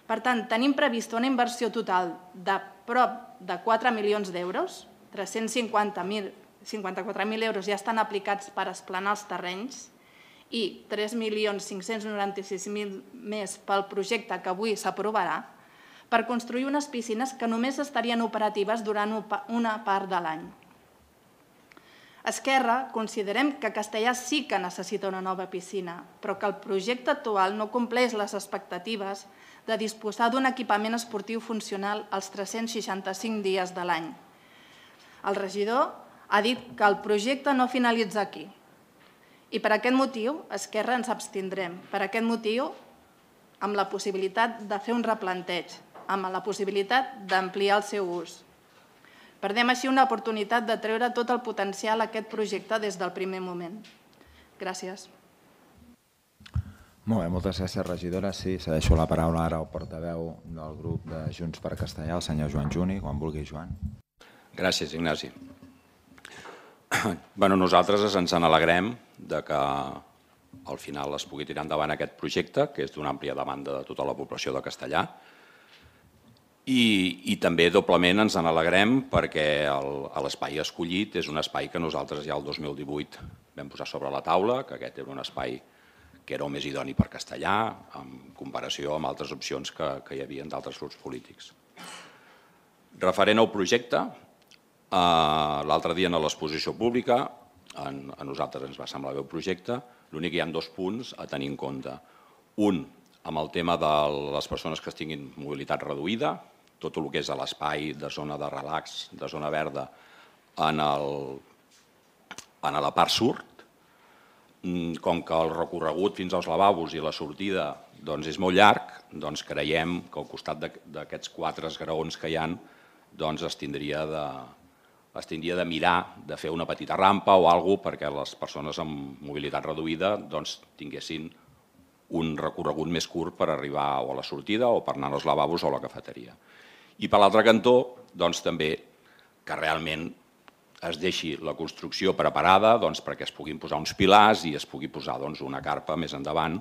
Per tant, tenim prevista una inversió total de prop de quatre milions d'euros, tres-cents cinquanta-quatre mil euros ja estan aplicats per esplanar els terrenys i tres milions cinc-cents noranta-sis mil més pel projecte que avui s'aprovarà per construir unes piscines que només estarien operatives durant una part de l'any. Esquerra considerem que Castellà sí que necessita una nova piscina, però que el projecte actual no compleix les expectatives de disposar d'un equipament esportiu funcional als tres-cents seixanta-cinc dies de l'any. El regidor ha dit que el projecte no finalitza aquí. I per aquest motiu, Esquerra ens abstindrem. Per aquest motiu, amb la possibilitat de fer un replanteig, amb la possibilitat d'ampliar el seu ús. Perdem així una oportunitat de treure tot el potencial a aquest projecte des del primer moment. Gràcies.
Molt bé, moltes gràcies, regidora. Sí, cedeixo la paraula ara al portaveu del grup de Junts per Castellà, el senyor Joan Juni. Quan vulgui, Joan.
Gràcies, Ignasi. Bueno, nosaltres ens en alegrem de que al final es pugui tirar endavant aquest projecte, que és d'una àmplia demanda de tota la població de Castellà. I, i també doblement ens en alegrem perquè l'espai escollit és un espai que nosaltres ja el dos mil divuit vam posar sobre la taula, que aquest era un espai que era el més idoni per Castellà, en comparació amb altres opcions que, que hi havia d'altres grups polítics. Referent al projecte, l'altre dia en l'exposició pública, a nosaltres ens va semblar bé el projecte, l'únic que hi ha dos punts a tenir en compte. Un, amb el tema de les persones que tinguin mobilitat reduïda, tot el que és a l'espai de zona de relax, de zona verda, en la part sud, com que el recorregut fins als lavabos i la sortida és molt llarg, creiem que al costat d'aquests quatre esgraons que hi ha doncs es tindria de, es tindria de mirar de fer una petita rampa o alguna cosa perquè les persones amb mobilitat reduïda doncs, tinguessin un recorregut més curt per arribar o a la sortida o per anar als lavabos o a la cafeteria. I per l'altre cantó, doncs, també que realment es deixi la construcció preparada doncs, perquè es puguin posar uns pilars i es pugui posar doncs, una carpa més endavant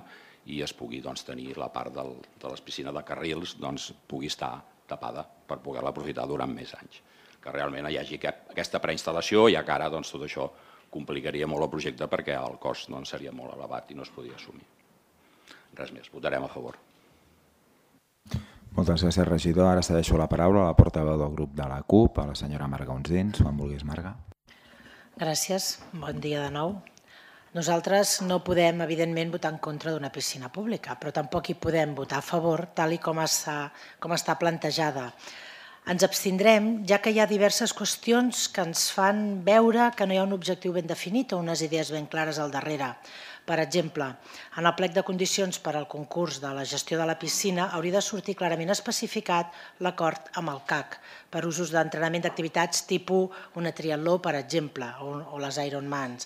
i es pugui doncs, tenir la part del, de les piscines de carrils doncs, pugui estar tapada per poder-la aprofitar durant més anys. Que realment hi hagi aquesta preinstal·lació, ja que ara doncs, tot això complicaria molt el projecte perquè el cost doncs, seria molt elevat i no es podia assumir. Res més, votarem a favor.
Moltes gràcies, regidor. Ara cedeixo la paraula a la portaveu del grup de la CUP, a la senyora Marga Unsins. Quan vulguis, Marga.
Gràcies. Bon dia de nou. Nosaltres no podem, evidentment, votar en contra d'una piscina pública, però tampoc hi podem votar a favor tal i com està, com està plantejada. Ens abstindrem, ja que hi ha diverses qüestions que ens fan veure que no hi ha un objectiu ben definit o unes idees ben clares al darrere. Per exemple, en el plec de condicions per al concurs de la gestió de la piscina hauria de sortir clarament especificat l'acord amb el C A C per usos d'entrenament d'activitats tipus una triatló, per exemple, o les Ironmans.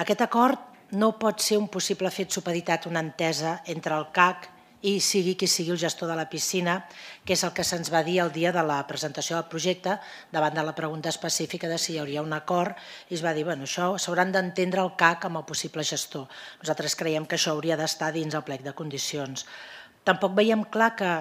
Aquest acord no pot ser un possible fet supeditat, una entesa entre el C A C i sigui qui sigui el gestor de la piscina, que és el que se'ns va dir el dia de la presentació del projecte, davant de la pregunta específica de si hi hauria un acord, i es va dir, bueno, això s'hauran d'entendre el C A C amb el possible gestor. Nosaltres creiem que això hauria d'estar dins el plec de condicions. Tampoc veiem clar que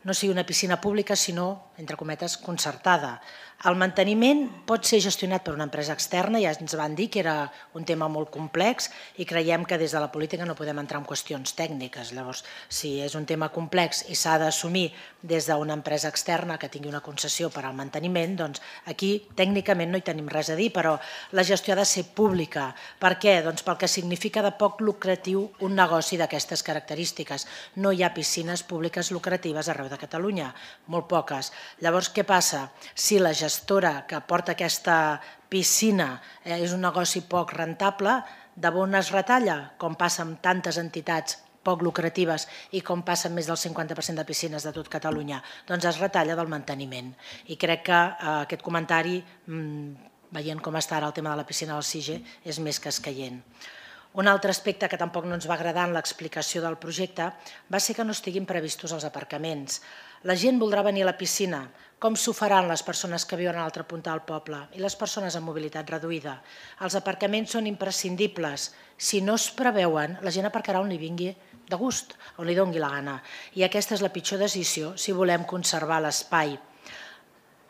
no sigui una piscina pública, sinó, entre cometes, concertada. El manteniment pot ser gestionat per una empresa externa, ja ens van dir que era un tema molt complex i creiem que des de la política no podem entrar en qüestions tècniques. Llavors, si és un tema complex i s'ha d'assumir des d'una empresa externa que tingui una concessió per al manteniment, doncs aquí tècnicament no hi tenim res a dir, però la gestió ha de ser pública. Per què? Doncs pel que significa de poc lucratiu un negoci d'aquestes característiques. No hi ha piscines públiques lucratives arreu de Catalunya, molt poques. Llavors, què passa? Si la gestora que porta aquesta piscina és un negoci poc rentable, de on es retalla, com passa amb tantes entitats poc lucratives i com passa amb més del cinquanta per cent de piscines de tot Catalunya, doncs es retalla del manteniment. I crec que aquest comentari, veient com està ara el tema de la piscina del C I G E, és més que escaient. Un altre aspecte que tampoc no ens va agradar en l'explicació del projecte va ser que no estiguin previstos els aparcaments. La gent voldrà venir a la piscina. Com s'ho faran les persones que viuen a l'altra punta del poble i les persones amb mobilitat reduïda? Els aparcaments són imprescindibles. Si no es preveuen, la gent aparcarà on li vingui de gust, on li doni la gana. I aquesta és la pitjor decisió si volem conservar l'espai.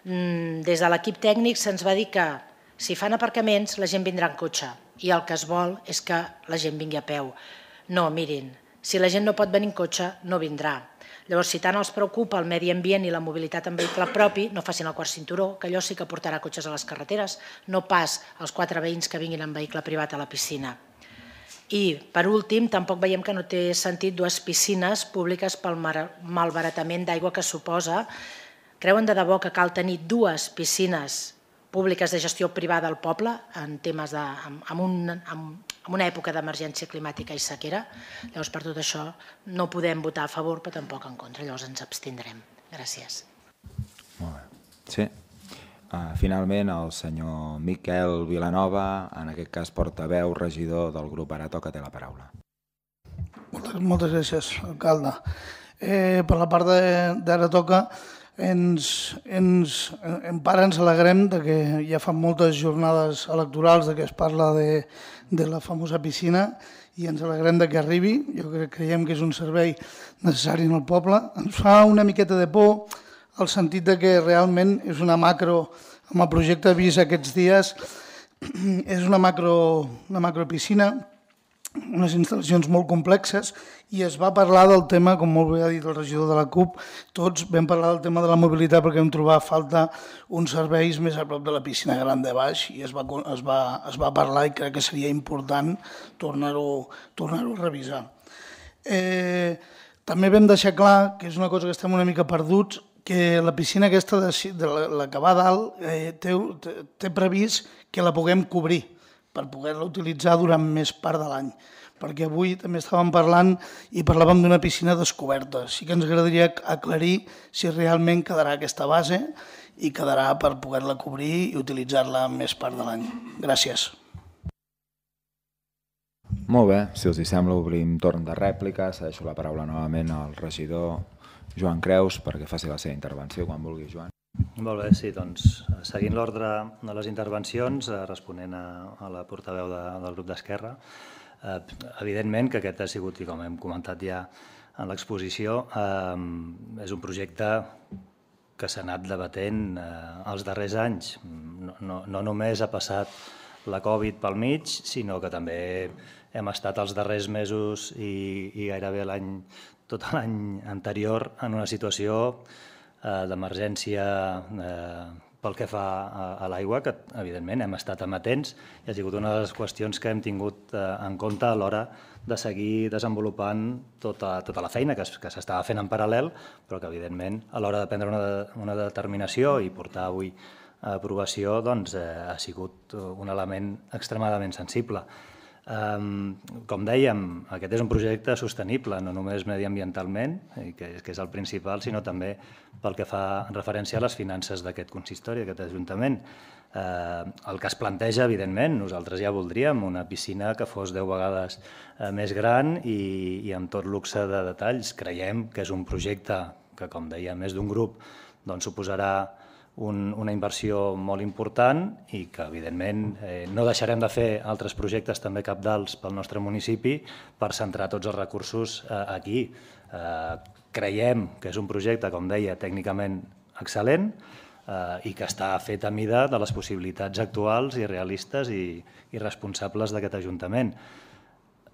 Des de l'equip tècnic se'ns va dir que si fan aparcaments la gent vindrà en cotxe i el que es vol és que la gent vingui a peu. No, mirin, si la gent no pot venir en cotxe no vindrà. Llavors, si tant els preocupa el medi ambient i la mobilitat en vehicle propi, no facin el quart cinturó, que allò sí que portarà cotxes a les carreteres, no pas els quatre veïns que vinguin en vehicle privat a la piscina. I, per últim, tampoc veiem que no té sentit dues piscines públiques pel malbaratament d'aigua que suposa. Creuen de debò que cal tenir dues piscines públiques de gestió privada al poble en temes de, en, un, en una època d'emergència climàtica i sequera? Llavors, per tot això, no podem votar a favor, però tampoc en contra. Llavors ens abstindrem. Gràcies.
Molt bé. Sí. Uh, finalment, el senyor Miquel Vilanova, en aquest cas portaveu, regidor del grup Ara Toca, té la paraula.
Moltes, moltes gràcies, alcalde. Eh, per la part d'Ara Toca, Ens, ens, en part ens alegrem de que ja fa moltes jornades electorals de que es parla de, de la famosa piscina i ens alegrem de que arribi. Jo crec, creiem que és un servei necessari en el poble. Ens fa una miqueta de por el sentit de que realment és una macro, amb el projecte vist aquests dies, és una macro, una macro piscina, unes instal·lacions molt complexes, i es va parlar del tema, com molt bé ha dit el regidor de la CUP, tots vam parlar del tema de la mobilitat perquè vam trobar falta uns serveis més a prop de la piscina gran de baix i es va, es va, es va parlar i crec que seria important tornar-ho tornar-ho a revisar. Eh, també vam deixar clar, que és una cosa que estem una mica perduts, que la piscina aquesta de, de la, la que va a dalt eh, té, té previst que la puguem cobrir per poder-la utilitzar durant més part de l'any. Perquè avui també estàvem parlant i parlàvem d'una piscina descoberta. Sí que ens agradaria aclarir si realment quedarà aquesta base i quedarà per poder-la cobrir i utilitzar-la més part de l'any. Gràcies.
Molt bé, si els sembla obrim torn de rèplica. Cedeixo la paraula novament al regidor Joan Creus perquè faci la seva intervenció quan vulgui, Joan.
Molt bé, sí, doncs seguint l'ordre de les intervencions, responent a la portaveu del grup d'Esquerra, evidentment que aquest ha sigut, i com hem comentat ja en l'exposició, és un projecte que s'ha anat debatent els darrers anys. No només ha passat la Covid pel mig, sinó que també hem estat els darrers mesos i gairebé l'any, tot l'any anterior, en una situació d'emergència pel que fa a l'aigua, que evidentment hem estat amatents i ha sigut una de les qüestions que hem tingut en compte a l'hora de seguir desenvolupant tota la feina que s'estava fent en paral·lel, però que evidentment a l'hora de prendre una determinació i portar avui a aprovació ha sigut un element extremadament sensible. Com dèiem, aquest és un projecte sostenible, no només mediambientalment, que és el principal, sinó també pel que fa referència a les finances d'aquest consistori, d'aquest Ajuntament. El que es planteja, evidentment, nosaltres ja voldríem una piscina que fos deu vegades més gran i amb tot luxe de detalls. Creiem que és un projecte que, com deia, més d'un grup suposarà una inversió molt important i que, evidentment, no deixarem de fer altres projectes també cabdals pel nostre municipi per centrar tots els recursos aquí. Creiem que és un projecte, com deia, tècnicament excel·lent i que està fet a mida de les possibilitats actuals i realistes i responsables d'aquest Ajuntament.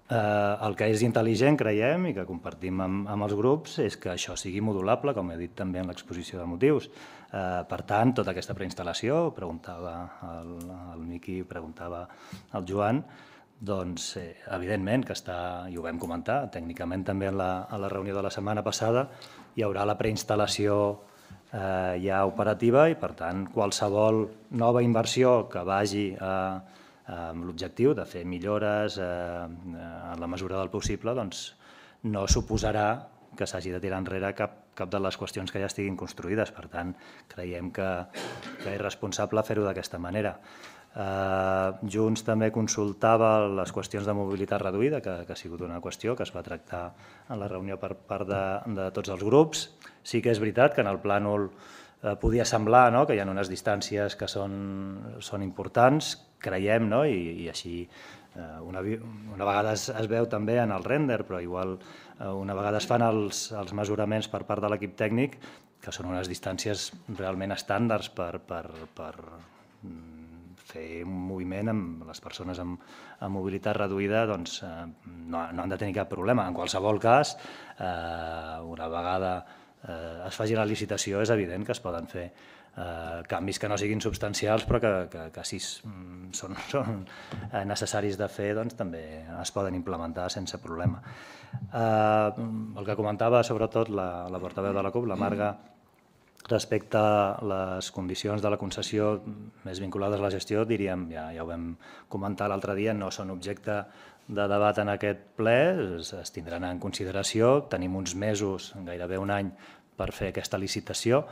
El que és intel·ligent, creiem, i que compartim amb els grups, és que això sigui modulable, com he dit també en l'exposició de motius. Per tant, tota aquesta preinstal·lació, preguntava el Miqui, preguntava el Joan, doncs, evidentment que està, i ho vam comentar, tècnicament també a la reunió de la setmana passada, hi haurà la preinstal·lació ja operativa i, per tant, qualsevol nova inversió que vagi a amb l'objectiu de fer millores en la mesura del possible, doncs no suposarà que s'hagi de tirar enrere cap de les qüestions que ja estiguin construïdes. Per tant, creiem que és responsable fer-ho d'aquesta manera. Junts també consultava les qüestions de mobilitat reduïda, que ha sigut una qüestió que es va tractar en la reunió per part de tots els grups. Sí que és veritat que en el plànol podia semblar que hi ha unes distàncies que són importants, creiem, i així una vegada es veu també en el render, però igual una vegada es fan els mesuraments per part de l'equip tècnic, que són unes distàncies realment estàndards per fer un moviment amb les persones amb mobilitat reduïda, doncs no han de tenir cap problema. En qualsevol cas, una vegada es faci la licitació, és evident que es poden fer canvis que no siguin substancials, però que si són necessaris de fer, doncs també es poden implementar sense problema. El que comentava sobretot la portaveu de la CUP, la Marga, respecte a les condicions de la concessió més vinculades a la gestió, diríem, ja ho vam comentar l'altre dia, no són objecte de debat en aquest ple, es tindran en consideració, tenim uns mesos, gairebé un any, per fer aquesta licitació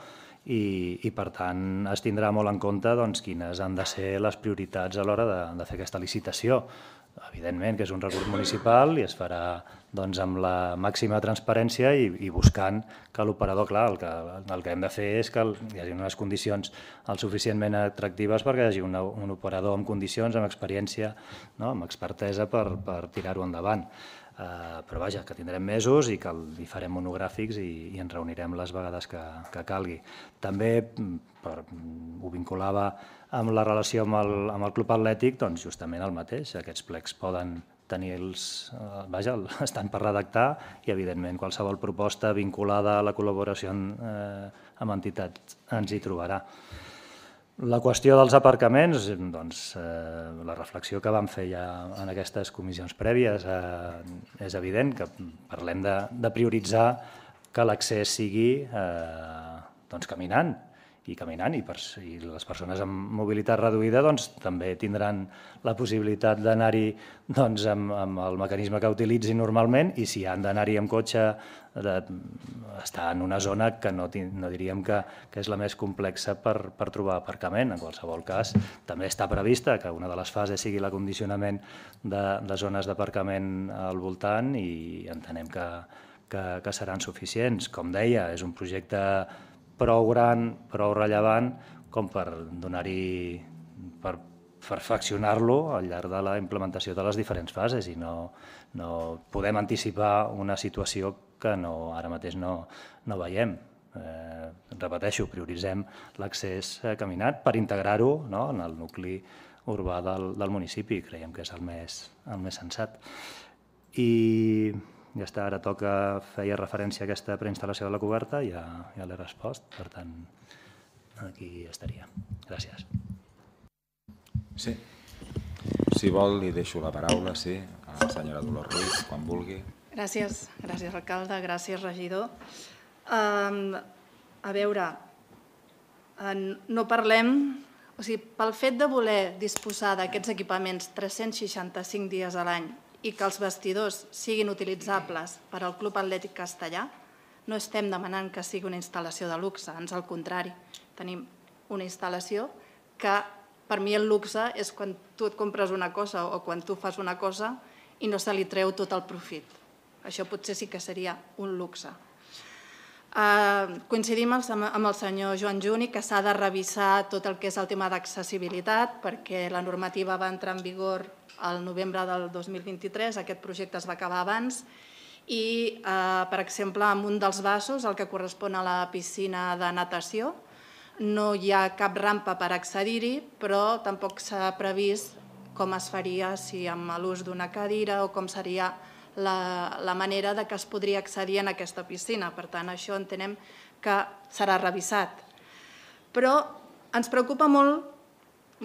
i, per tant, es tindrà molt en compte quines han de ser les prioritats a l'hora de fer aquesta licitació. Evidentment que és un recurs municipal i es farà amb la màxima transparència i buscant que l'operador, clar, el que hem de fer és que hi hagi unes condicions el suficientment atractives perquè hi hagi un operador amb condicions, amb experiència, amb expertesa per tirar-ho endavant. Però vaja, que tindrem mesos i que hi farem monogràfics i ens reunirem les vegades que calgui. També ho vinculava amb la relació amb el club atlètic, doncs justament el mateix. Aquests plecs poden tenir els... Vaja, estan per redactar i, evidentment, qualsevol proposta vinculada a la col·laboració amb entitats ens hi trobarà. La qüestió dels aparcaments, doncs, la reflexió que vam fer ja en aquestes comissions prèvies, és evident que parlem de prioritzar que l'accés sigui caminant i caminant, i, per, i les persones amb mobilitat reduïda doncs, també tindran la possibilitat d'anar-hi doncs, amb, amb el mecanisme que utilitzin normalment, i si han d'anar-hi amb cotxe, de, estar en una zona que no, no diríem que, que és la més complexa per, per trobar aparcament. En qualsevol cas, també està prevista que una de les fases sigui l'acondicionament de, de zones d'aparcament al voltant, i entenem que, que, que seran suficients. Com deia, és un projecte prou gran, prou rellevant, com per donar-hi, per perfeccionar-lo al llarg de la implementació de les diferents fases, i no, no podem anticipar una situació que no, ara mateix no, no veiem. Eh, repeteixo, prioritzem l'accés caminat per integrar-ho, no, en el nucli urbà del, del municipi. Creiem que és el més, el més sensat. I ja està, ara toca, feia referència a aquesta preinstal·lació de la coberta, ja, ja l'he respost, per tant, aquí estaria. Gràcies.
Sí. Si vol, li deixo la paraula, sí, a la senyora Dolors Ruiz, quan vulgui.
Gràcies, gràcies alcalde, gràcies regidor. Um, a veure, no parlem, o sigui, pel fet de voler disposar d'aquests equipaments tres-cents seixanta-cinc dies a l'any i que els vestidors siguin utilitzables per al Club Atlètic Castellà, no estem demanant que sigui una instal·lació de luxe, ans al contrari. Tenim una instal·lació que per mi el luxe és quan tu et compres una cosa o quan tu fas una cosa i no se li treu tot el profit. Això potser sí que seria un luxe. Coincidim amb el senyor Joan Juni que s'ha de revisar tot el que és el tema d'accessibilitat, perquè la normativa va entrar en vigor al novembre del dos mil vint-i-tres, aquest projecte es va acabar abans, i, per exemple, en un dels vasos, el que correspon a la piscina de natació, no hi ha cap rampa per accedir-hi, però tampoc s'ha previst com es faria si amb l'ús d'una cadira o com seria la, la manera de que es podria accedir en aquesta piscina. Per tant, això entenem que serà revisat. Però ens preocupa molt,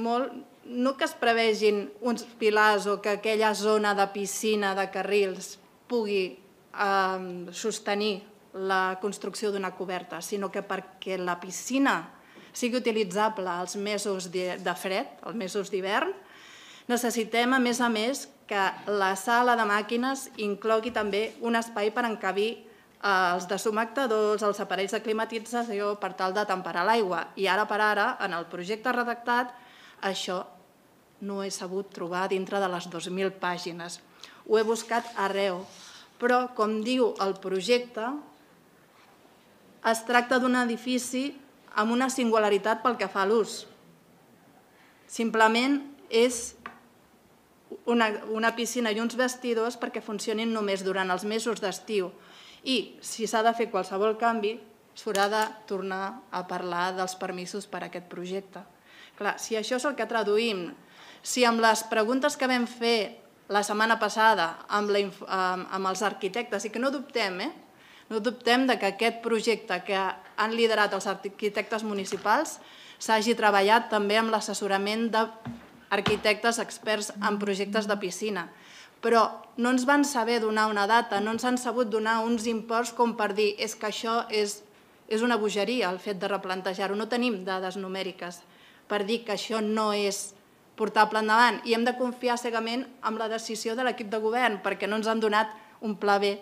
molt no que es prevegin uns pilars o que aquella zona de piscina, de carrils, pugui eh, sostenir la construcció d'una coberta, sinó que perquè la piscina sigui utilitzable als mesos de fred, als mesos d'hivern, necessitem, a més a més, que la sala de màquines inclogui també un espai per encabir els deshumectadors, els aparells de climatització per tal de temperar l'aigua. I ara per ara, en el projecte redactat, això no he sabut trobar dintre de les dues mil pàgines. Ho he buscat arreu, però, com diu el projecte, es tracta d'un edifici amb una singularitat pel que fa a l'ús. Simplement és una, una piscina i uns vestidors perquè funcionin només durant els mesos d'estiu. I si s'ha de fer qualsevol canvi, s'haurà de tornar a parlar dels permisos per a aquest projecte. Clar, si això és el que traduïm, si amb les preguntes que vam fer la setmana passada amb, la, amb els arquitectes, i que no dubtem, eh? no dubtem de que aquest projecte que han liderat els arquitectes municipals s'hagi treballat també amb l'assessorament d'arquitectes experts en projectes de piscina. Però no ens van saber donar una data, no ens han sabut donar uns imports com per dir és que això és, és una bogeria, el fet de replantejar-ho. No tenim dades numèriques per dir que això no és portable endavant i hem de confiar cegament en la decisió de l'equip de govern perquè no ens han donat un pla B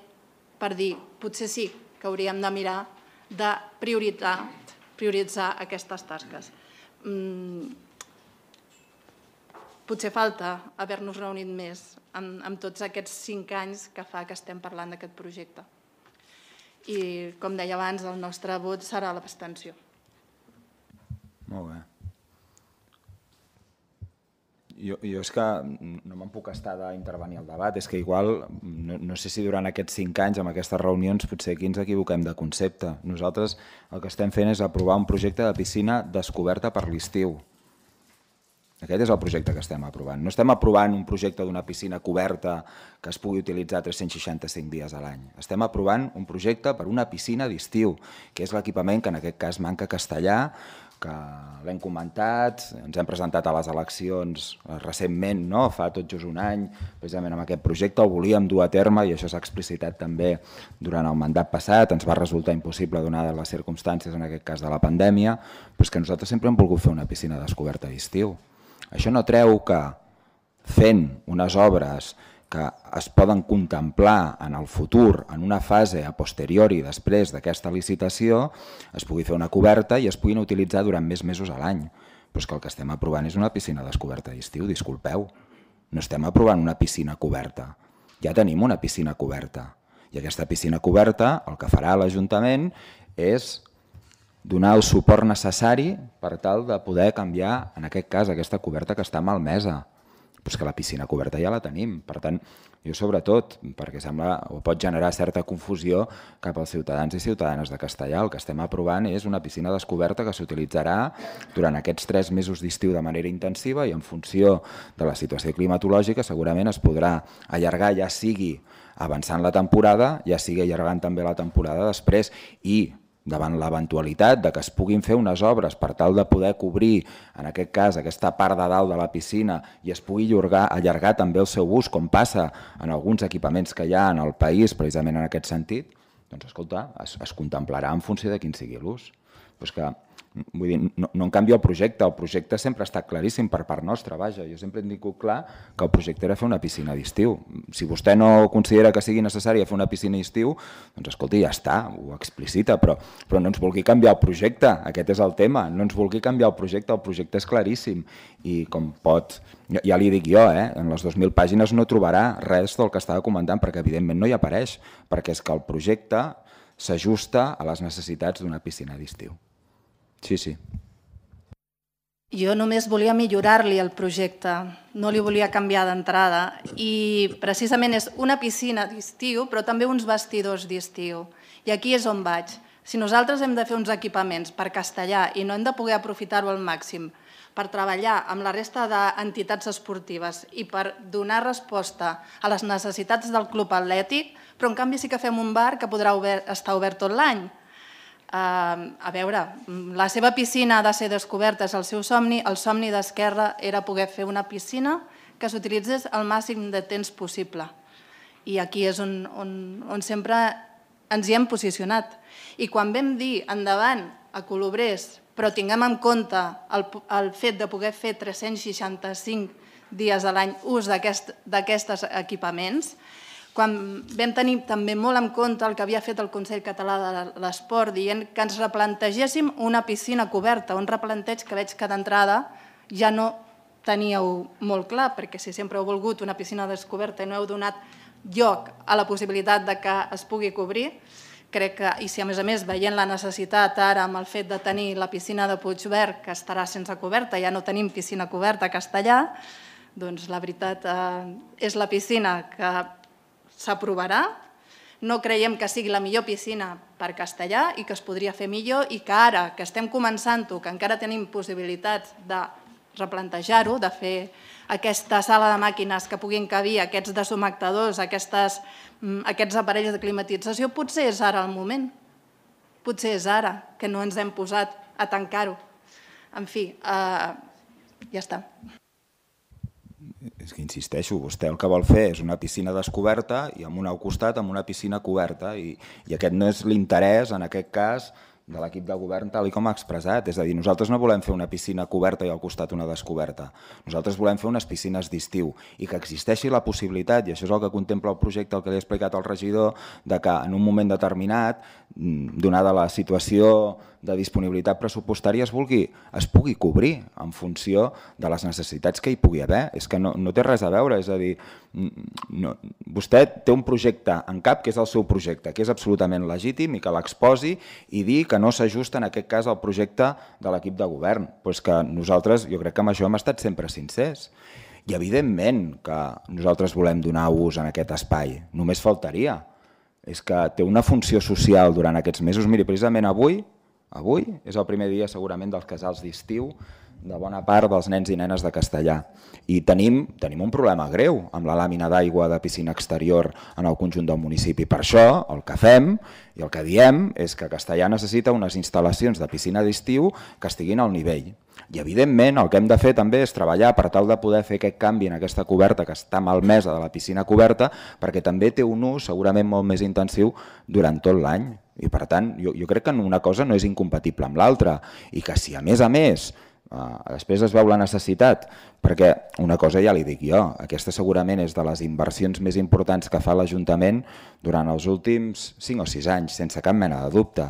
per dir potser sí que hauríem de mirar de prioritzar, prioritzar aquestes tasques. Mm, potser falta haver-nos reunit més amb, amb tots aquests cinc anys que fa que estem parlant d'aquest projecte. I, com deia abans, el nostre vot serà l'abstenció.
Molt bé. Jo, jo és que no me'n puc estar d'intervenir al debat, és que igual, no, no sé si durant aquests cinc anys, amb aquestes reunions, potser aquí ens equivoquem de concepte. Nosaltres el que estem fent és aprovar un projecte de piscina descoberta per l'estiu. Aquest és el projecte que estem aprovant. No estem aprovant un projecte d'una piscina coberta que es pugui utilitzar tres-cents seixanta-cinc dies a l'any. Estem aprovant un projecte per una piscina d'estiu, que és l'equipament que en aquest cas manca a Castellà, que l'hem comentat, ens hem presentat a les eleccions recentment, no? Fa tot just un any, precisament amb aquest projecte, el volíem dur a terme i això s'ha explicitat també durant el mandat passat, ens va resultar impossible donades les circumstàncies, en aquest cas de la pandèmia, però és que nosaltres sempre hem volgut fer una piscina descoberta d'estiu. Això no treu que fent unes obres que es poden contemplar en el futur, en una fase a posteriori després d'aquesta licitació, es pugui fer una coberta i es puguin utilitzar durant més mesos a l'any. Però és que el que estem aprovant és una piscina descoberta d'estiu, disculpeu. No estem aprovant una piscina coberta. Ja tenim una piscina coberta. I aquesta piscina coberta, el que farà l'Ajuntament és donar el suport necessari per tal de poder canviar, en aquest cas, aquesta coberta que està malmesa. Però és que la piscina coberta ja la tenim. Per tant, jo sobretot, perquè sembla o pot generar certa confusió cap als ciutadans i ciutadanes de Castellar, el que estem aprovant és una piscina descoberta que s'utilitzarà durant aquests tres mesos d'estiu de manera intensiva i en funció de la situació climatològica segurament es podrà allargar, ja sigui avançant la temporada, ja sigui allargant també la temporada després i davant l'eventualitat de que es puguin fer unes obres per tal de poder cobrir, en aquest cas, aquesta part de dalt de la piscina i es pugui allargar, allargar també el seu ús, com passa en alguns equipaments que hi ha en el país, precisament en aquest sentit, doncs, escolta, es, es contemplarà en funció de quin sigui l'ús. Però és que, vull dir, no, no en canvia el projecte, el projecte sempre ha estat claríssim per part nostra, vaja, jo sempre he dit clar que el projecte era fer una piscina d'estiu. Si vostè no considera que sigui necessari fer una piscina d'estiu, doncs escolti, ja està, ho explicita, però, però no ens vulgui canviar el projecte, aquest és el tema, no ens vulgui canviar el projecte, el projecte és claríssim i com pot, ja, ja li dic jo, eh, en les dues mil pàgines no trobarà res del que estava comentant perquè evidentment no hi apareix, perquè és que el projecte s'ajusta a les necessitats d'una piscina d'estiu. Sí, sí.
Jo només volia millorar-li el projecte, no li volia canviar d'entrada i precisament és una piscina d'estiu però també uns vestidors d'estiu i aquí és on vaig. Si nosaltres hem de fer uns equipaments per Castellar i no hem de poder aprofitar-ho al màxim per treballar amb la resta d'entitats esportives i per donar resposta a les necessitats del club atlètic, però en canvi sí que fem un bar que podrà estar obert tot l'any. Uh, a veure, la seva piscina ha de ser descoberta, és el seu somni, el somni d'Esquerra era poder fer una piscina que s'utilitzés el màxim de temps possible. I aquí és on, on, on sempre ens hi hem posicionat. I quan vam dir endavant a Colobrers, però tinguem en compte el, el fet de poder fer tres-cents seixanta-cinc dies a l'any ús d'aquests equipaments, quan vam tenir també molt en compte el que havia fet el Consell Català de l'Esport dient que ens replantegéssim una piscina coberta, un replanteig que veig que d'entrada ja no teníeu molt clar, perquè si sempre heu volgut una piscina descoberta i no heu donat lloc a la possibilitat de que es pugui cobrir, crec que, i si a més a més veient la necessitat ara amb el fet de tenir la piscina de Puigverd que estarà sense coberta, ja no tenim piscina coberta a Castellar, doncs la veritat és la piscina que s'aprovarà, no creiem que sigui la millor piscina per Castellar i que es podria fer millor i que ara que estem començant-ho, que encara tenim possibilitats de replantejar-ho, de fer aquesta sala de màquines que puguin cabir aquests deshumectadors, aquests aparells de climatització, potser és ara el moment. Potser és ara que no ens hem posat a tancar-ho. En fi, ja està.
És que insisteixo, vostè el que vol fer és una piscina descoberta i amb una al costat amb una piscina coberta i, i aquest no és l'interès, en aquest cas, de l'equip de govern tal com ha expressat. És a dir, nosaltres no volem fer una piscina coberta i al costat una descoberta. Nosaltres volem fer unes piscines d'estiu i que existeixi la possibilitat, i això és el que contempla el projecte, el que li ha explicat el regidor, de que en un moment determinat, donada la situació de disponibilitat pressupostària, es, vulgui, es pugui cobrir en funció de les necessitats que hi pugui haver. És que no, no té res a veure, és a dir, no, vostè té un projecte en cap que és el seu projecte, que és absolutament legítim i que l'exposi i dir que no s'ajusta en aquest cas al projecte de l'equip de govern. Però és que nosaltres, jo crec que amb això hem estat sempre sincers. I evidentment que nosaltres volem donar ús en aquest espai, només faltaria. És que té una funció social durant aquests mesos. Miri, precisament avui Avui és el primer dia segurament dels casals d'estiu de bona part dels nens i nenes de Castellar. I tenim, tenim un problema greu amb la làmina d'aigua de piscina exterior en el conjunt del municipi. Per això el que fem i el que diem és que Castellar necessita unes instal·lacions de piscina d'estiu que estiguin al nivell. I evidentment el que hem de fer també és treballar per tal de poder fer aquest canvi en aquesta coberta que està malmesa de la piscina coberta, perquè també té un ús segurament molt més intensiu durant tot l'any. I per tant jo, jo crec que una cosa no és incompatible amb l'altra i que si a més a més Uh, després es veu la necessitat, perquè una cosa ja li dic jo, aquesta segurament és de les inversions més importants que fa l'Ajuntament durant els últims cinc o sis anys, sense cap mena de dubte.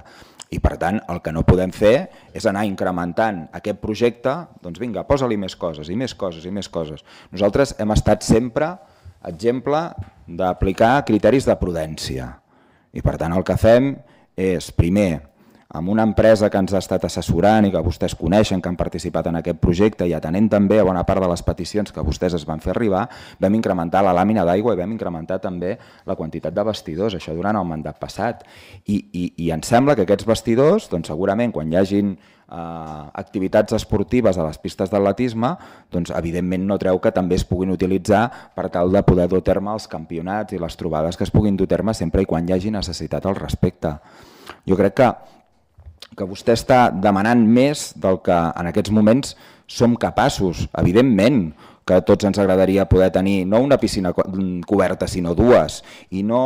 I per tant el que no podem fer és anar incrementant aquest projecte, doncs vinga, posa-li més coses i més coses i més coses. Nosaltres hem estat sempre exemple d'aplicar criteris de prudència i per tant el que fem és primer amb una empresa que ens ha estat assessorant i que vostès coneixen, que han participat en aquest projecte i atenent també a bona part de les peticions que vostès es van fer arribar, vam incrementar la làmina d'aigua i vam incrementar també la quantitat de vestidors, això durant el mandat passat. I, i, i em sembla que aquests vestidors, doncs segurament quan hi hagin eh, activitats esportives a les pistes d'atletisme, doncs evidentment no treu que també es puguin utilitzar per tal de poder dur a terme els campionats i les trobades que es puguin dur a terme sempre i quan hi hagi necessitat al respecte. Jo crec que que vostè està demanant més del que en aquests moments som capaços. Evidentment que a tots ens agradaria poder tenir no una piscina coberta sinó dues i no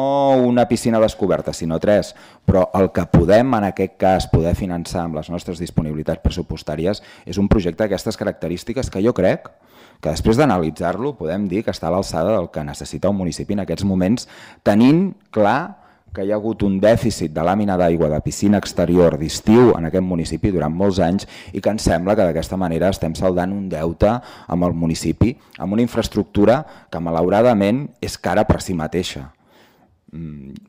una piscina descoberta sinó tres, però el que podem en aquest cas poder finançar amb les nostres disponibilitats pressupostàries és un projecte d'aquestes característiques que jo crec que després d'analitzar-lo podem dir que està a l'alçada del que necessita un municipi en aquests moments, tenint clar que hi ha hagut un dèficit de làmina d'aigua de piscina exterior d'estiu en aquest municipi durant molts anys i que ens sembla que d'aquesta manera estem saldant un deute amb el municipi, amb una infraestructura que malauradament és cara per si mateixa,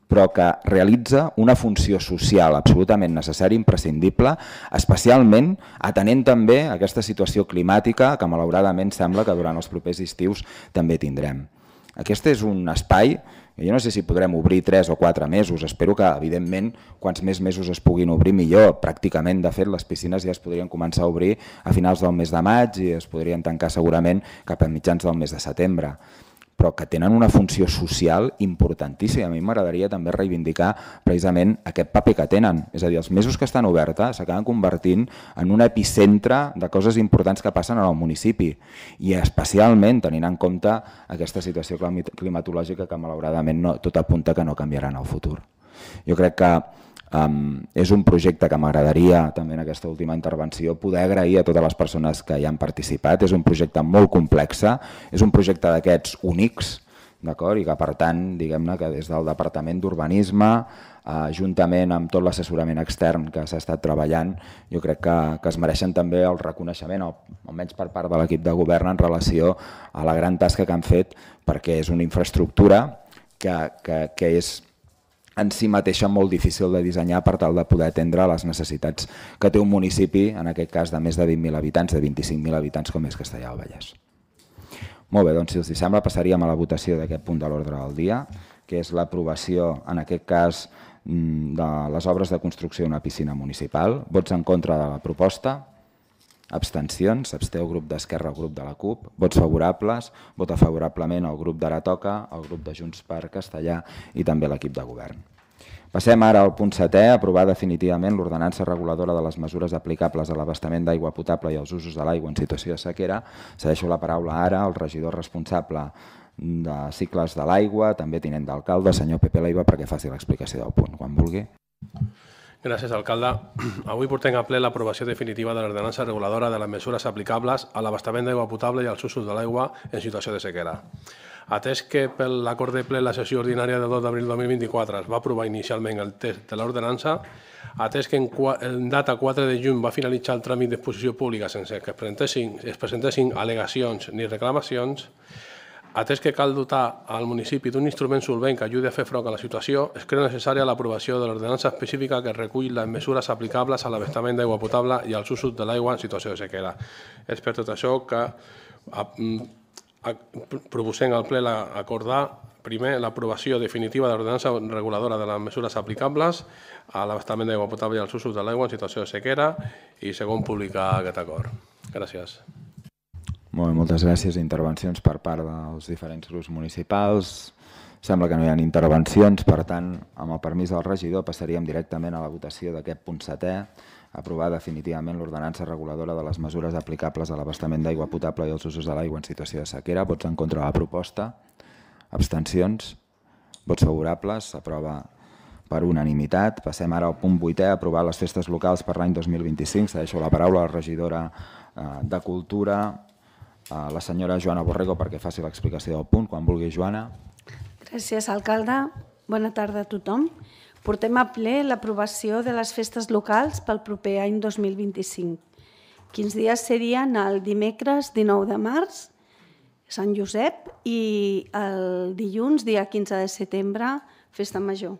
però que realitza una funció social absolutament necessària i imprescindible, especialment atenent també a aquesta situació climàtica que malauradament sembla que durant els propers estius també tindrem. Aquest és un espai. Jo no sé si podrem obrir tres o quatre mesos, espero que evidentment quants més mesos es puguin obrir millor. Pràcticament de fet les piscines ja es podrien començar a obrir a finals del mes de maig i es podrien tancar segurament cap a mitjans del mes de setembre, però que tenen una funció social importantíssima. A mi m'agradaria també reivindicar precisament aquest paper que tenen, és a dir, els mesos que estan obertes s'acaben convertint en un epicentre de coses importants que passen en el municipi i especialment tenint en compte aquesta situació climatològica que malauradament no, tot apunta que no canviarà en el futur. Jo crec que Um, és un projecte que m'agradaria també en aquesta última intervenció poder agrair a totes les persones que hi han participat. És un projecte molt complex, és un projecte d'aquests únics, d'acord? I que per tant, diguem-ne que des del Departament d'Urbanisme, eh, juntament amb tot l'assessorament extern que s'ha estat treballant, jo crec que, que es mereixen també el reconeixement, almenys per part de l'equip de govern en relació a la gran tasca que han fet, perquè és una infraestructura que, que, que és en si mateixa molt difícil de dissenyar per tal de poder atendre les necessitats que té un municipi, en aquest cas de més de vint mil habitants, de vint-i-cinc mil habitants com és Castellar del Vallès. Molt bé, doncs si els sembla passaríem a la votació d'aquest punt de l'ordre del dia, que és l'aprovació, en aquest cas, de les obres de construcció d'una piscina municipal. Vots en contra de la proposta? Abstencions, s'absté el grup d'Esquerra, el grup de la CUP, vots favorables, vota favorablement el grup d'Ara Toca, el grup de Junts per Castellar i també l'equip de govern. Passem ara al punt setè, aprovar definitivament l'ordenança reguladora de les mesures aplicables a l'abastament d'aigua potable i als usos de l'aigua en situació de sequera. Cedeixo la paraula ara al regidor responsable de cicles de l'aigua, també tinent d'alcalde, senyor Pepe Leiva, perquè faci l'explicació del punt, quan vulgui.
Gràcies, alcalde. Avui portem a ple l'aprovació definitiva de l'ordenança reguladora de les mesures aplicables a l'abastament d'aigua potable i als usos de l'aigua en situació de sequera. Atès que per l'acord de ple la sessió ordinària del dos d'abril de dos mil vint-i-quatre es va aprovar inicialment el text de l'ordenança, atès que en, en data quatre de juny va finalitzar el tràmit d'exposició pública sense que es presentessin, es presentessin al·legacions ni reclamacions, atès que cal dotar al municipi d'un instrument solvent que ajudi a fer front a la situació, es creu necessària l'aprovació de l'ordenança específica que recull les mesures aplicables a l'abastament d'aigua potable i als usos de l'aigua en situació de sequera. És per tot això que proposem al ple acordar, primer, l'aprovació definitiva de l'ordenança reguladora de les mesures aplicables a l'abastament d'aigua potable i als usos de l'aigua en situació de sequera i, segon, publicar aquest acord. Gràcies.
Molt bé, moltes gràcies. Intervencions per part dels diferents grups municipals. Sembla que no hi ha intervencions, per tant, amb el permís del regidor, passaríem directament a la votació d'aquest punt setè, aprovar definitivament l'ordenança reguladora de les mesures aplicables a l'abastament d'aigua potable i als usos de l'aigua en situació de sequera. Vots en contra de la proposta. Abstencions. Vots favorables. S'aprova per unanimitat. Passem ara al punt vuitè, aprovar les festes locals per l'any dos mil vint-i-cinc. Cedeixo la paraula a la regidora de Cultura, a la senyora Joana Borrego, perquè faci l'explicació del punt. Quan vulgui, Joana.
Gràcies, alcalde. Bona tarda a tothom. Portem a ple l'aprovació de les festes locals pel proper any dos mil vint-i-cinc. Quins dies serien? El dimecres dinou de març, Sant Josep, i el dilluns, dia quinze de setembre, Festa Major.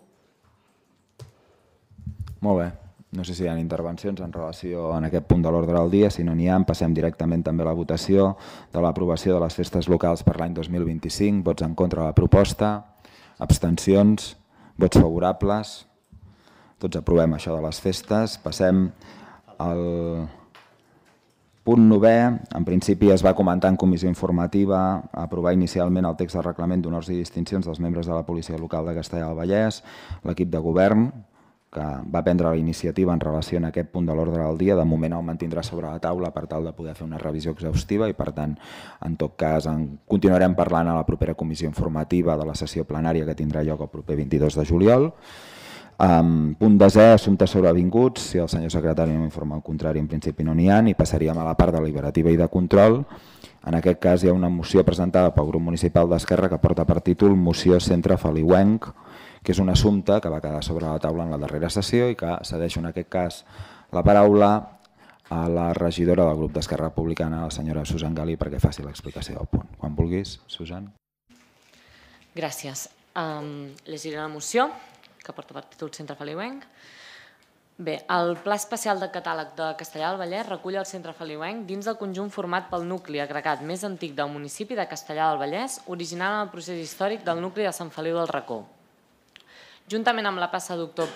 Molt bé. No sé si hi ha intervencions en relació a aquest punt de l'ordre del dia. Si no n'hi ha, passem directament també a la votació de l'aprovació de les festes locals per l'any dos mil vint-i-cinc. Vots en contra de la proposta. Abstencions. Vots favorables. Tots aprovem això de les festes. Passem al punt novè. En principi es va comentar en comissió informativa aprovar inicialment el text de reglament d'honors i distincions dels membres de la policia local de Castellar del Vallès, l'equip de govern, que va prendre la iniciativa en relació a aquest punt de l'ordre del dia. De moment el mantindrà sobre la taula per tal de poder fer una revisió exhaustiva i, per tant, en tot cas, en continuarem parlant a la propera comissió informativa de la sessió plenària que tindrà lloc el proper vint-i-dos de juliol. Um, punt desè, assumptes sobrevinguts. Si el senyor secretari no informa el contrari, en principi no n'hi ha, i passaríem a la part deliberativa i de control. En aquest cas hi ha una moció presentada pel grup municipal d'Esquerra que porta per títol Moció Centre Feliuenc, que és un assumpte que va quedar sobre la taula en la darrera sessió i que cedeixo en aquest cas la paraula a la regidora del grup d'Esquerra Republicana, la senyora Susan Gali, perquè faci l'explicació del punt. Quan vulguis, Susan.
Gràcies. Um, llegiré la moció, que porta per títol Centre Feliuenc. Bé, el Pla Especial de Catàleg de Castellar del Vallès recull el Centre Feliuenc dins del conjunt format pel nucli agregat més antic del municipi de Castellar del Vallès, original en el procés històric del nucli de Sant Feliu del Racó. Juntament amb la plaça Doctor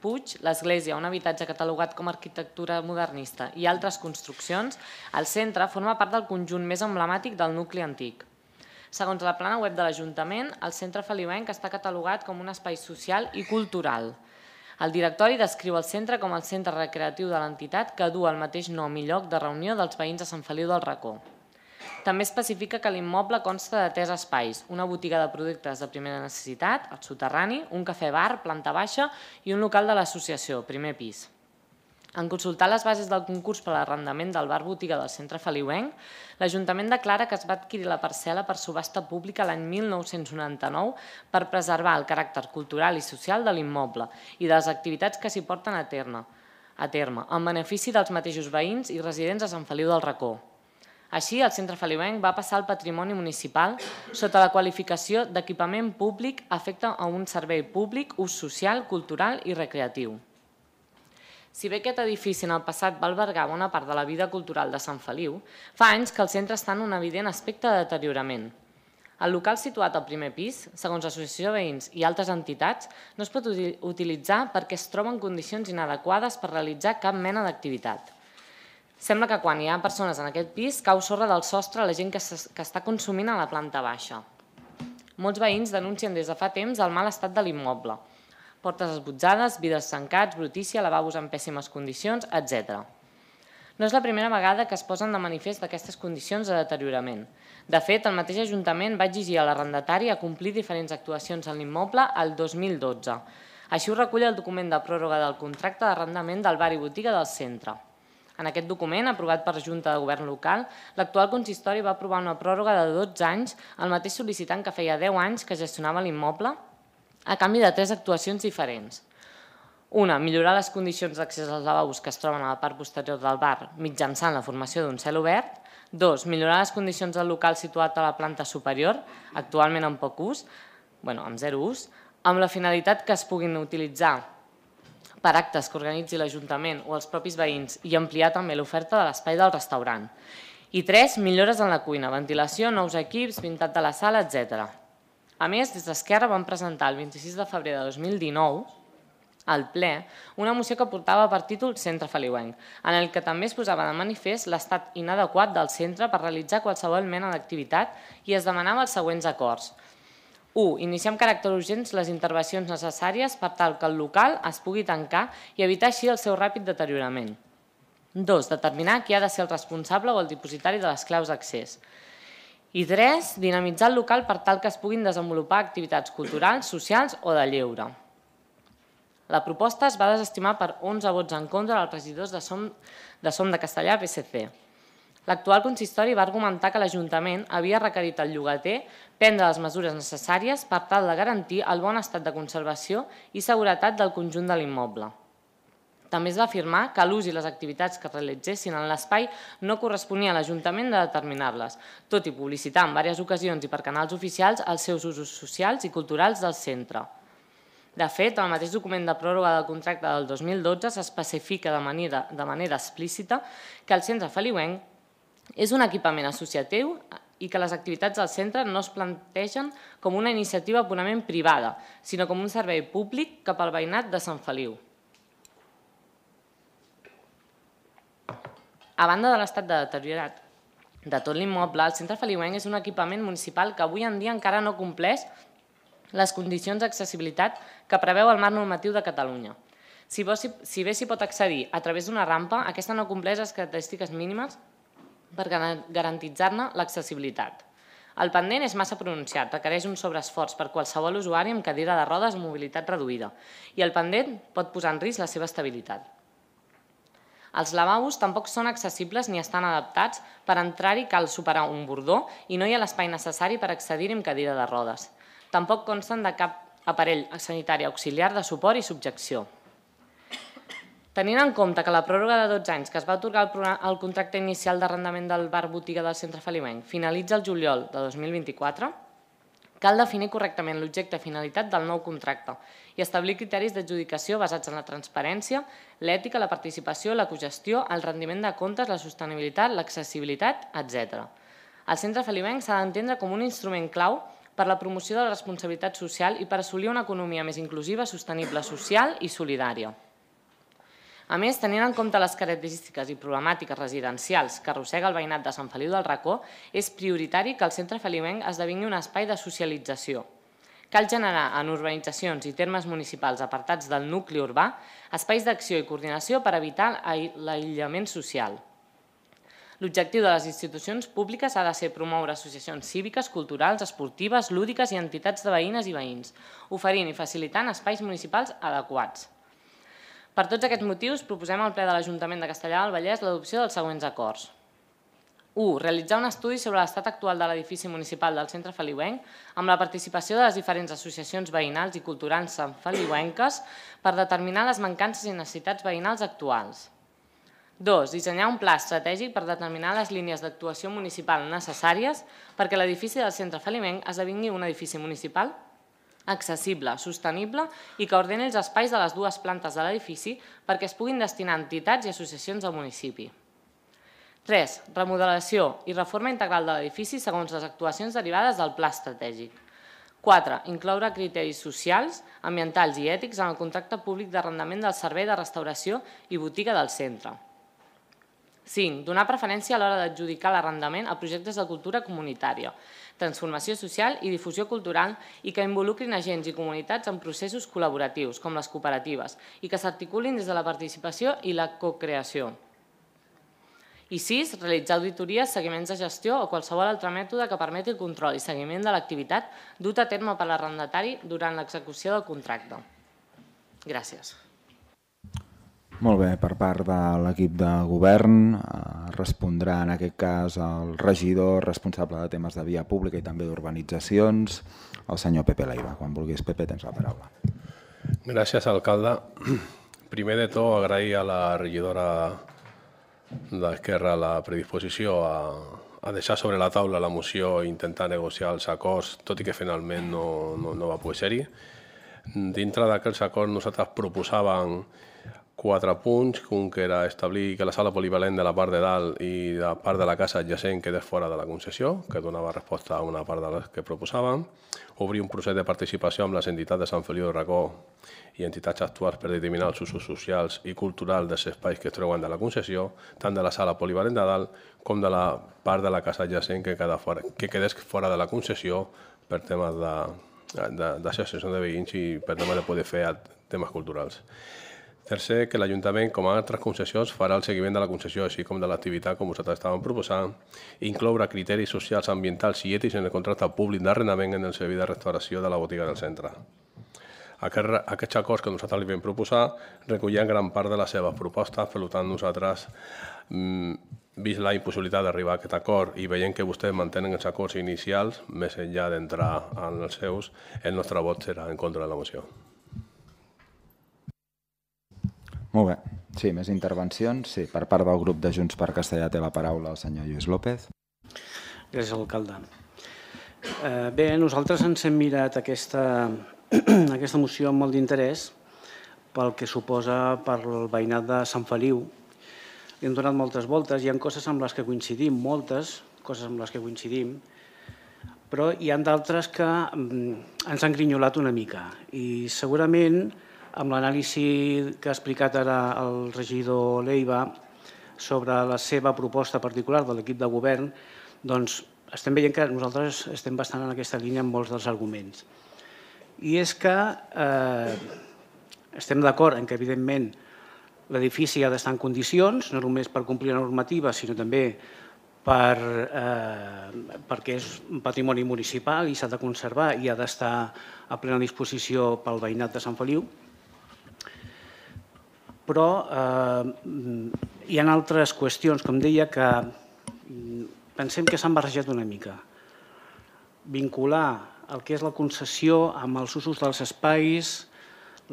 Puig, l'església, un habitatge catalogat com a arquitectura modernista i altres construccions, el centre forma part del conjunt més emblemàtic del nucli antic. Segons la plana web de l'Ajuntament, el Centre Feliuenc està catalogat com un espai social i cultural. El directori descriu el centre com el centre recreatiu de l'entitat que du el mateix nom i lloc de reunió dels veïns de Sant Feliu del Racó. També especifica que l'immoble consta de tres espais, una botiga de productes de primera necessitat, el soterrani, un cafè-bar, planta baixa, i un local de l'associació, primer pis. En consultar les bases del concurs per a l'arrendament del bar-botiga del Centre Feliuenc, l'Ajuntament declara que es va adquirir la parcel·la per subhasta pública l'any mil nou-cents noranta-nou per preservar el caràcter cultural i social de l'immoble i de les activitats que s'hi porten a terme, en benefici dels mateixos veïns i residents de Sant Feliu del Racó. Així, el Centre Feliuenc va passar al patrimoni municipal sota la qualificació d'equipament públic afecte a un servei públic, ús social, cultural i recreatiu. Si bé aquest edifici en el passat va albergar bona part de la vida cultural de Sant Feliu, fa anys que el centre està en un evident aspecte de deteriorament. El local situat al primer pis, segons l'associació de veïns i altres entitats, no es pot utilitzar perquè es troba en condicions inadequades per realitzar cap mena d'activitat. Sembla que quan hi ha persones en aquest pis cau sorra del sostre a la gent que està consumint a la planta baixa. Molts veïns denuncien des de fa temps el mal estat de l'immoble. Portes esbutzades, vidres tancats, brutícia, lavabos en pèssimes condicions, etcètera. No és la primera vegada que es posen de manifest aquestes condicions de deteriorament. De fet, el mateix Ajuntament va exigir a l'arrendatari a complir diferents actuacions en l'immoble el dos mil dotze. Així ho recull el document de pròrroga del contracte d'arrendament del bar i botiga del centre. En aquest document, aprovat per Junta de Govern local, l'actual consistori va aprovar una pròrroga de dotze anys, el mateix sol·licitant que feia deu anys que gestionava l'immoble, a canvi de tres actuacions diferents. Una, millorar les condicions d'accés als lavabos que es troben a la part posterior del bar mitjançant la formació d'un cel obert. Dos, millorar les condicions del local situat a la planta superior, actualment amb poc ús, bueno, amb zero ús, amb la finalitat que es puguin utilitzar per actes que organitzi l'Ajuntament o els propis veïns i ampliar també l'oferta de l'espai del restaurant. I tres, millores en la cuina, ventilació, nous equips, pintat de la sala, etcètera. A més, des d'Esquerra vam presentar el vint-i-sis de febrer de dos mil dinou al ple una moció que portava per títol Centre Feliuenc, en el que també es posava de manifest l'estat inadequat del centre per realitzar qualsevol mena d'activitat i es demanava els següents acords. u. Iniciar amb caràcter urgent les intervencions necessàries per tal que el local es pugui tancar i evitar així el seu ràpid deteriorament. dos. Determinar qui ha de ser el responsable o el dipositari de les claus d'accés. I tres. Dinamitzar el local per tal que es puguin desenvolupar activitats culturals, socials o de lleure. La proposta es va desestimar per onze vots en contra dels regidors de Som de, Som de Castellà P S C. L'actual consistori va argumentar que l'Ajuntament havia requerit al llogater prendre les mesures necessàries per tal de garantir el bon estat de conservació i seguretat del conjunt de l'immoble. També es va afirmar que l'ús i les activitats que es realitzessin en l'espai no corresponia a l'Ajuntament de determinar-les, tot i publicitar en diverses ocasions i per canals oficials els seus usos socials i culturals del centre. De fet, en el mateix document de pròrroga del contracte del dos mil dotze s'especifica de manera, de manera explícita que el centre feliuenc és un equipament associatiu i que les activitats del centre no es plantegen com una iniciativa purament privada, sinó com un servei públic cap al veïnat de Sant Feliu. A banda de l'estat de deteriorat de tot l'immoble, el centre feliuenc és un equipament municipal que avui en dia encara no compleix les condicions d'accessibilitat que preveu el marc normatiu de Catalunya. Si bé s'hi pot accedir a través d'una rampa, aquesta no compleix les característiques mínimes per garantir-ne l'accessibilitat. El pendent és massa pronunciat, requereix un sobreesforç per qualsevol usuari amb cadira de rodes o mobilitat reduïda i el pendent pot posar en risc la seva estabilitat. Els lavabos tampoc són accessibles ni estan adaptats, per entrar-hi cal superar un bordó i no hi ha l'espai necessari per accedir-hi amb cadira de rodes. Tampoc consten de cap aparell sanitari auxiliar de suport i subjecció. Tenint en compte que la pròrroga de dotze anys que es va atorgar el contracte inicial d'arrendament del bar-botiga del centre feliuenc finalitza el juliol de dos mil vint-i-quatre, cal definir correctament l'objecte i finalitat del nou contracte i establir criteris d'adjudicació basats en la transparència, l'ètica, la participació, la cogestió, el rendiment de comptes, la sostenibilitat, l'accessibilitat, etcètera. El centre feliuenc s'ha d'entendre com un instrument clau per la promoció de la responsabilitat social i per assolir una economia més inclusiva, sostenible, social i solidària. A més, tenint en compte les característiques i problemàtiques residencials que arrossega el veïnat de Sant Feliu del Racó, és prioritari que el centre feliuenc esdevingui un espai de socialització. Cal generar en urbanitzacions i termes municipals apartats del nucli urbà espais d'acció i coordinació per evitar l'aïllament social. L'objectiu de les institucions públiques ha de ser promoure associacions cíviques, culturals, esportives, lúdiques i entitats de veïnes i veïns, oferint i facilitant espais municipals adequats. Per tots aquests motius, proposem al ple de l'Ajuntament de Castellar del Vallès l'adopció dels següents acords. u. Realitzar un estudi sobre l'estat actual de l'edifici municipal del centre feliuenc amb la participació de les diferents associacions veïnals i culturals santfeliuenques per determinar les mancances i necessitats veïnals actuals. dos. Dissenyar un pla estratègic per determinar les línies d'actuació municipal necessàries perquè l'edifici del centre feliuenc esdevingui un edifici municipal accessible, sostenible i que ordeni els espais de les dues plantes de l'edifici perquè es puguin destinar a entitats i associacions del municipi. tres. Remodelació i reforma integral de l'edifici segons les actuacions derivades del pla estratègic. quatre. Incloure criteris socials, ambientals i ètics en el contracte públic d'arrendament del servei de restauració i botiga del centre. cinc. Donar preferència a l'hora d'adjudicar l'arrendament a projectes de cultura comunitària, transformació social i difusió cultural i que involucrin agents i comunitats en processos col·laboratius, com les cooperatives, i que s'articulin des de la participació i la cocreació. I sis. Realitzar auditories, seguiments de gestió o qualsevol altre mètode que permeti el control i seguiment de l'activitat dut a terme per l'arrendatari durant l'execució del contracte. Gràcies.
Molt bé, per part de l'equip de govern respondrà en aquest cas el regidor responsable de temes de via pública i també d'urbanitzacions, el senyor Pepe Leiva. Quan vulguis, Pepe, tens la paraula.
Gràcies, alcalde. Primer de tot, agrair a la regidora d'Esquerra la predisposició a, a deixar sobre la taula la moció i intentar negociar els acords, tot i que finalment no, no, no va poder ser-hi. Dintre d'aquells acords nosaltres proposàvem quatre punts, un que era establir que la sala polivalent de la part de dalt i la part de la casa adjacent quedés fora de la concessió, que donava resposta a una part de les que proposàvem, obrir un procés de participació amb les entitats de Sant Feliu de Racó i entitats actuals per determinar els usos socials i culturals dels espais que es treuen de la concessió, tant de la sala polivalent de dalt com de la part de la casa adjacent que quedés fora de la concessió per temes d'associació de veïns i per temes de poder fer temes culturals. Tercer, que l'Ajuntament, com a altres concessions, farà el seguiment de la concessió, així com de l'activitat, com vosaltres estàvem proposant, incloure criteris socials, ambientals i ètics en el contracte públic d'arrendament en el servei de restauració de la botiga del centre. Aquests acords que nosaltres li vam proposar recollien gran part de les seves propostes, per tant nosaltres, vist la impossibilitat d'arribar a aquest acord i veient que vostès mantenen els acords inicials, més enllà d'entrar en els seus, el nostre vot serà en contra de la moció.
Molt bé. Sí, més intervencions. Sí, per part del grup de Junts per Castellà té la paraula el senyor Lluís López.
Gràcies, alcalde. Bé, nosaltres ens hem mirat aquesta moció amb molt d'interès pel que suposa per el veïnat de Sant Feliu. Li hem donat moltes voltes, hi ha coses amb les que coincidim, moltes coses amb les que coincidim, però hi ha d'altres que ens han grinyolat una mica i segurament amb l'anàlisi que ha explicat ara el regidor Leiva sobre la seva proposta particular de l'equip de govern, doncs estem veient que nosaltres estem bastant en aquesta línia amb molts dels arguments. I és que estem d'acord en que, evidentment, l'edifici ha d'estar en condicions, no només per complir la normativa, sinó també perquè és un patrimoni municipal i s'ha de conservar i ha d'estar a plena disposició pel veïnat de Sant Feliu. Però hi ha altres qüestions, com deia, que pensem que s'han barrejat una mica. Vincular el que és la concessió amb els usos dels espais,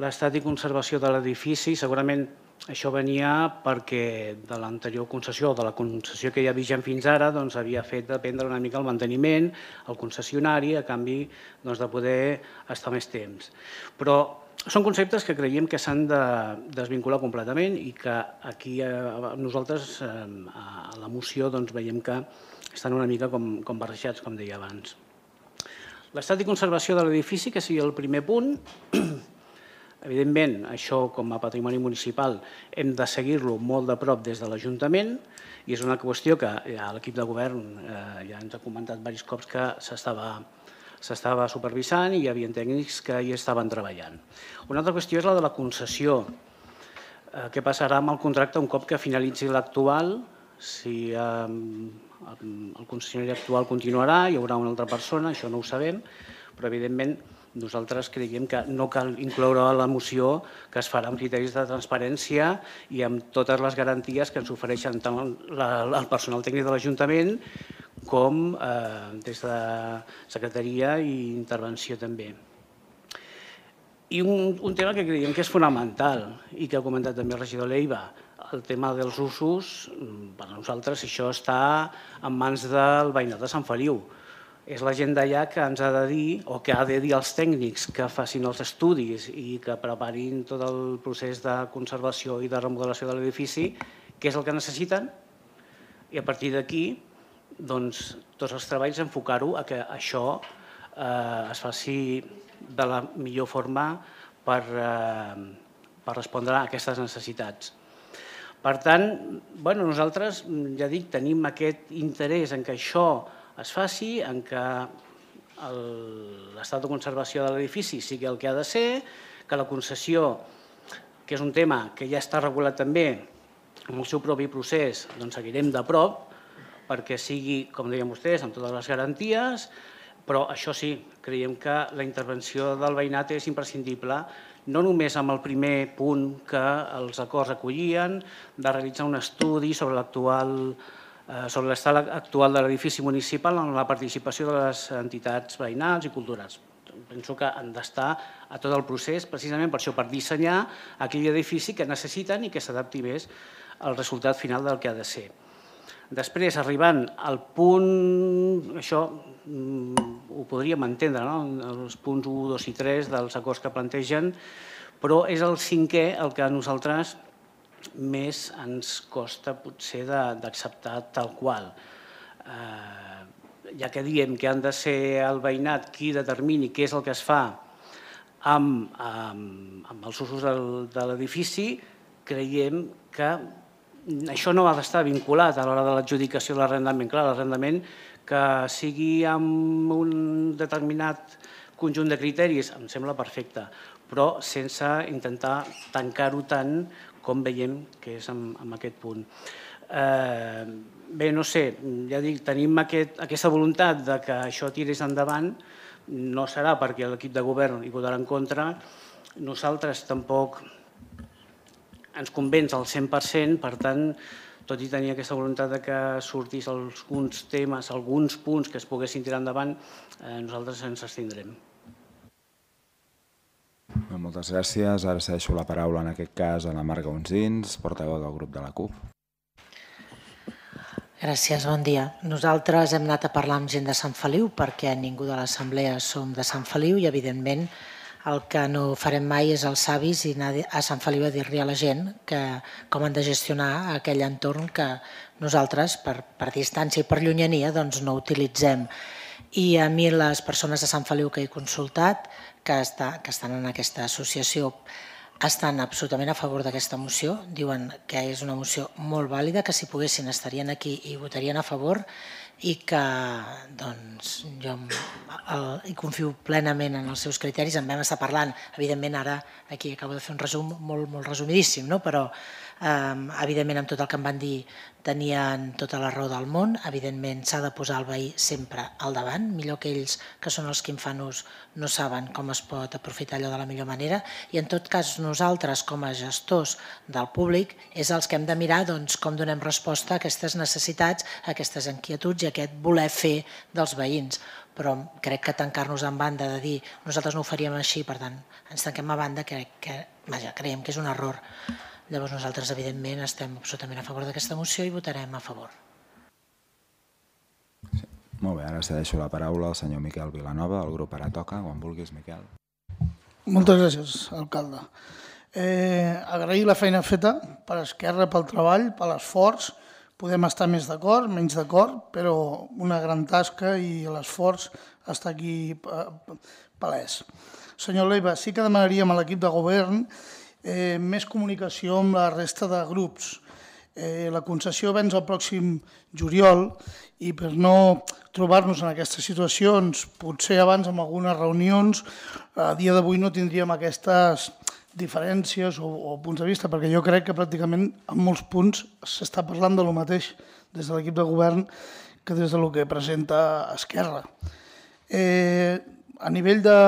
l'estat i conservació de l'edifici, segurament això venia perquè de l'anterior concessió o de la concessió que hi ha vigent fins ara havia fet dependre una mica el manteniment, el concessionari, a canvi de poder estar més temps. Però són conceptes que creiem que s'han de desvincular completament i que aquí nosaltres a la moció veiem que estan una mica com barrejats, com deia abans. L'estat i conservació de l'edifici, que sigui el primer punt, evidentment, això com a patrimoni municipal hem de seguir-lo molt de prop des de l'Ajuntament i és una qüestió que l'equip de govern ja ens ha comentat diversos cops que s'estava s'estava supervisant i hi havia tècnics que hi estaven treballant. Una altra qüestió és la de la concessió. Què passarà amb el contracte un cop que finalitzi l'actual? Si el concessionari actual continuarà, hi haurà una altra persona, això no ho sabem, però evidentment nosaltres creiem que no cal incloure a la moció que es farà amb criteris de transparència i amb totes les garanties que ens ofereixen tant el personal tècnic de l'Ajuntament com des de secretaria i intervenció també. I un tema que creiem que és fonamental i que ha comentat també el regidor Leiva, el tema dels usos, per nosaltres això està en mans del veïnat de Sant Feliu. És la gent d'allà que ens ha de dir o que ha de dir als tècnics que facin els estudis i que preparin tot el procés de conservació i de remodelació de l'edifici, què és el que necessiten i a partir d'aquí tots els treballs enfocar-ho a que això es faci de la millor forma per respondre a aquestes necessitats. Per tant, nosaltres, ja dic, tenim aquest interès en que això es faci, en que l'estat de conservació de l'edifici sigui el que ha de ser, que la concessió, que és un tema que ja està regulat també amb el seu propi procés, doncs seguirem de prop, perquè sigui, com deien vostès, amb totes les garanties, però això sí, creiem que la intervenció del veïnat és imprescindible, no només amb el primer punt que els acords acollien, de realitzar un estudi sobre l'actual sobre l'estat actual de l'edifici municipal en la participació de les entitats veïnals i culturals. Penso que han d'estar a tot el procés, precisament per això, per dissenyar aquell edifici que necessiten i que s'adapti més al resultat final del que ha de ser. Després, arribant al punt, això ho podríem entendre, els punts u, dos i tres dels acords que plantegen, però és el cinquè el que nosaltres més ens costa potser d'acceptar tal qual. Ja que diem que han de ser el veïnat qui determini què és el que es fa amb els usos de l'edifici, creiem que això no ha d'estar vinculat a l'hora de l'adjudicació de l'arrendament. Clar, l'arrendament que sigui amb un determinat conjunt de criteris em sembla perfecte, però sense intentar tancar-ho tant com veiem que és en aquest punt. Bé, no sé, ja dic, tenim aquesta voluntat que això tirés endavant, no serà perquè l'equip de govern hi votarà en contra, nosaltres tampoc ens convenç al cent per cent, per tant, tot i tenir aquesta voluntat que sortís alguns temes, alguns punts que es poguessin tirar endavant, nosaltres ens abstindrem.
Moltes gràcies. Ara cedeixo la paraula en aquest cas a la Marga Onsins, portaveu del grup de la CUP.
Gràcies, bon dia. Nosaltres hem anat a parlar amb gent de Sant Feliu perquè ningú de l'assemblea som de Sant Feliu i, evidentment, el que no farem mai és els savis i anar a Sant Feliu a dir-li a la gent com han de gestionar aquell entorn que nosaltres, per distància i per llunyania, no utilitzem. I a mi les persones de Sant Feliu que he consultat, que estan en aquesta associació, estan absolutament a favor d'aquesta moció, diuen que és una moció molt vàlida, que si poguessin estarien aquí i votarien a favor i que jo hi confio plenament en els seus criteris. En vam estar parlant, evidentment ara aquí acabo de fer un resum molt resumidíssim, però evidentment amb tot el que em van dir tenien tota la raó del món. Evidentment s'ha de posar el veí sempre al davant, millor que ells, que són els que en fan ús, no saben com es pot aprofitar allò de la millor manera, i en tot cas nosaltres com a gestors del públic és els que hem de mirar com donem resposta a aquestes necessitats, a aquestes inquietuds i a aquest voler fer dels veïns. Però crec que tancar-nos en banda de dir nosaltres no ho faríem així, per tant ens tanquem a banda, creiem que és un error. Llavors nosaltres evidentment estem absolutament a favor d'aquesta moció i votarem a favor.
Molt bé, ara cedeixo la paraula al senyor Miquel Vilanova, el grup Ara Toca, quan vulguis, Miquel.
Moltes gràcies, alcalde. Agrair la feina feta per Esquerra, pel treball, per l'esforç. Podem estar més d'acord, menys d'acord, però una gran tasca i l'esforç està aquí palès. Senyor Leiva, sí que demanaríem a l'equip de govern més comunicació amb la resta de grups. La concessió venç el pròxim juliol i per no trobar-nos en aquestes situacions, potser abans amb algunes reunions, a dia d'avui no tindríem aquestes diferències o punts de vista, perquè jo crec que pràcticament en molts punts s'està parlant del mateix des de l'equip de govern que des del que presenta Esquerra. A nivell de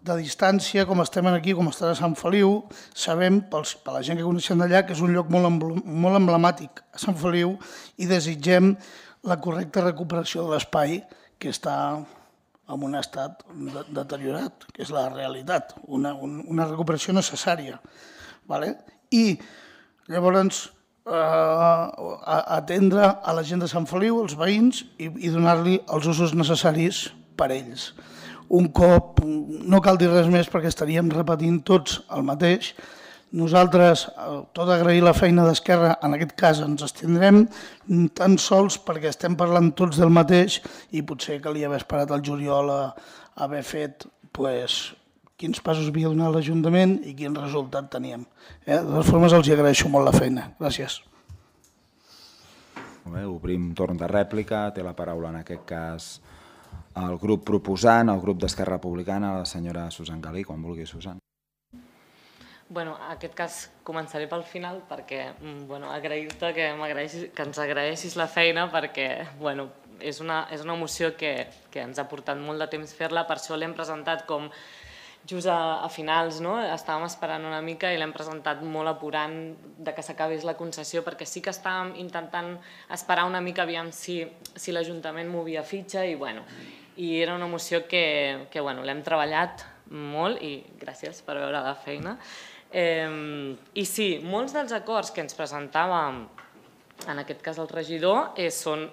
de distància, com estem aquí, com estarà a Sant Feliu, sabem, per la gent que coneixem d'allà, que és un lloc molt emblemàtic a Sant Feliu i desitgem la correcta recuperació de l'espai que està en un estat deteriorat, que és la realitat, una recuperació necessària. I llavors atendre a la gent de Sant Feliu, els veïns, i donar-li els usos necessaris per ells. Un cop, no cal dir res més perquè estaríem repetint tots el mateix. Nosaltres, tot agrair la feina d'Esquerra, en aquest cas ens estendrem tan sols perquè estem parlant tots del mateix i potser calia haver esperat el juliol a haver fet quins passos havia donat l'Ajuntament i quin resultat teníem. De totes formes, els agraeixo molt la feina. Gràcies.
Obrim torn de rèplica. Té la paraula en aquest cas el grup proposant, el grup d'Esquerra Republicana, la senyora Susan Galí, quan vulgui, Susan.
Bueno, en aquest cas començaré pel final perquè agrair-te que ens agraeixis la feina perquè és una moció que ens ha portat molt de temps fer-la, per això l'hem presentat com just a finals, estàvem esperant una mica i l'hem presentat molt apurant que s'acabés la concessió perquè sí que estàvem intentant esperar una mica aviam si l'Ajuntament movia fitxa i bueno, i era una moció que l'hem treballat molt i gràcies per veure la feina. I sí, molts dels acords que ens presentava en aquest cas el regidor, són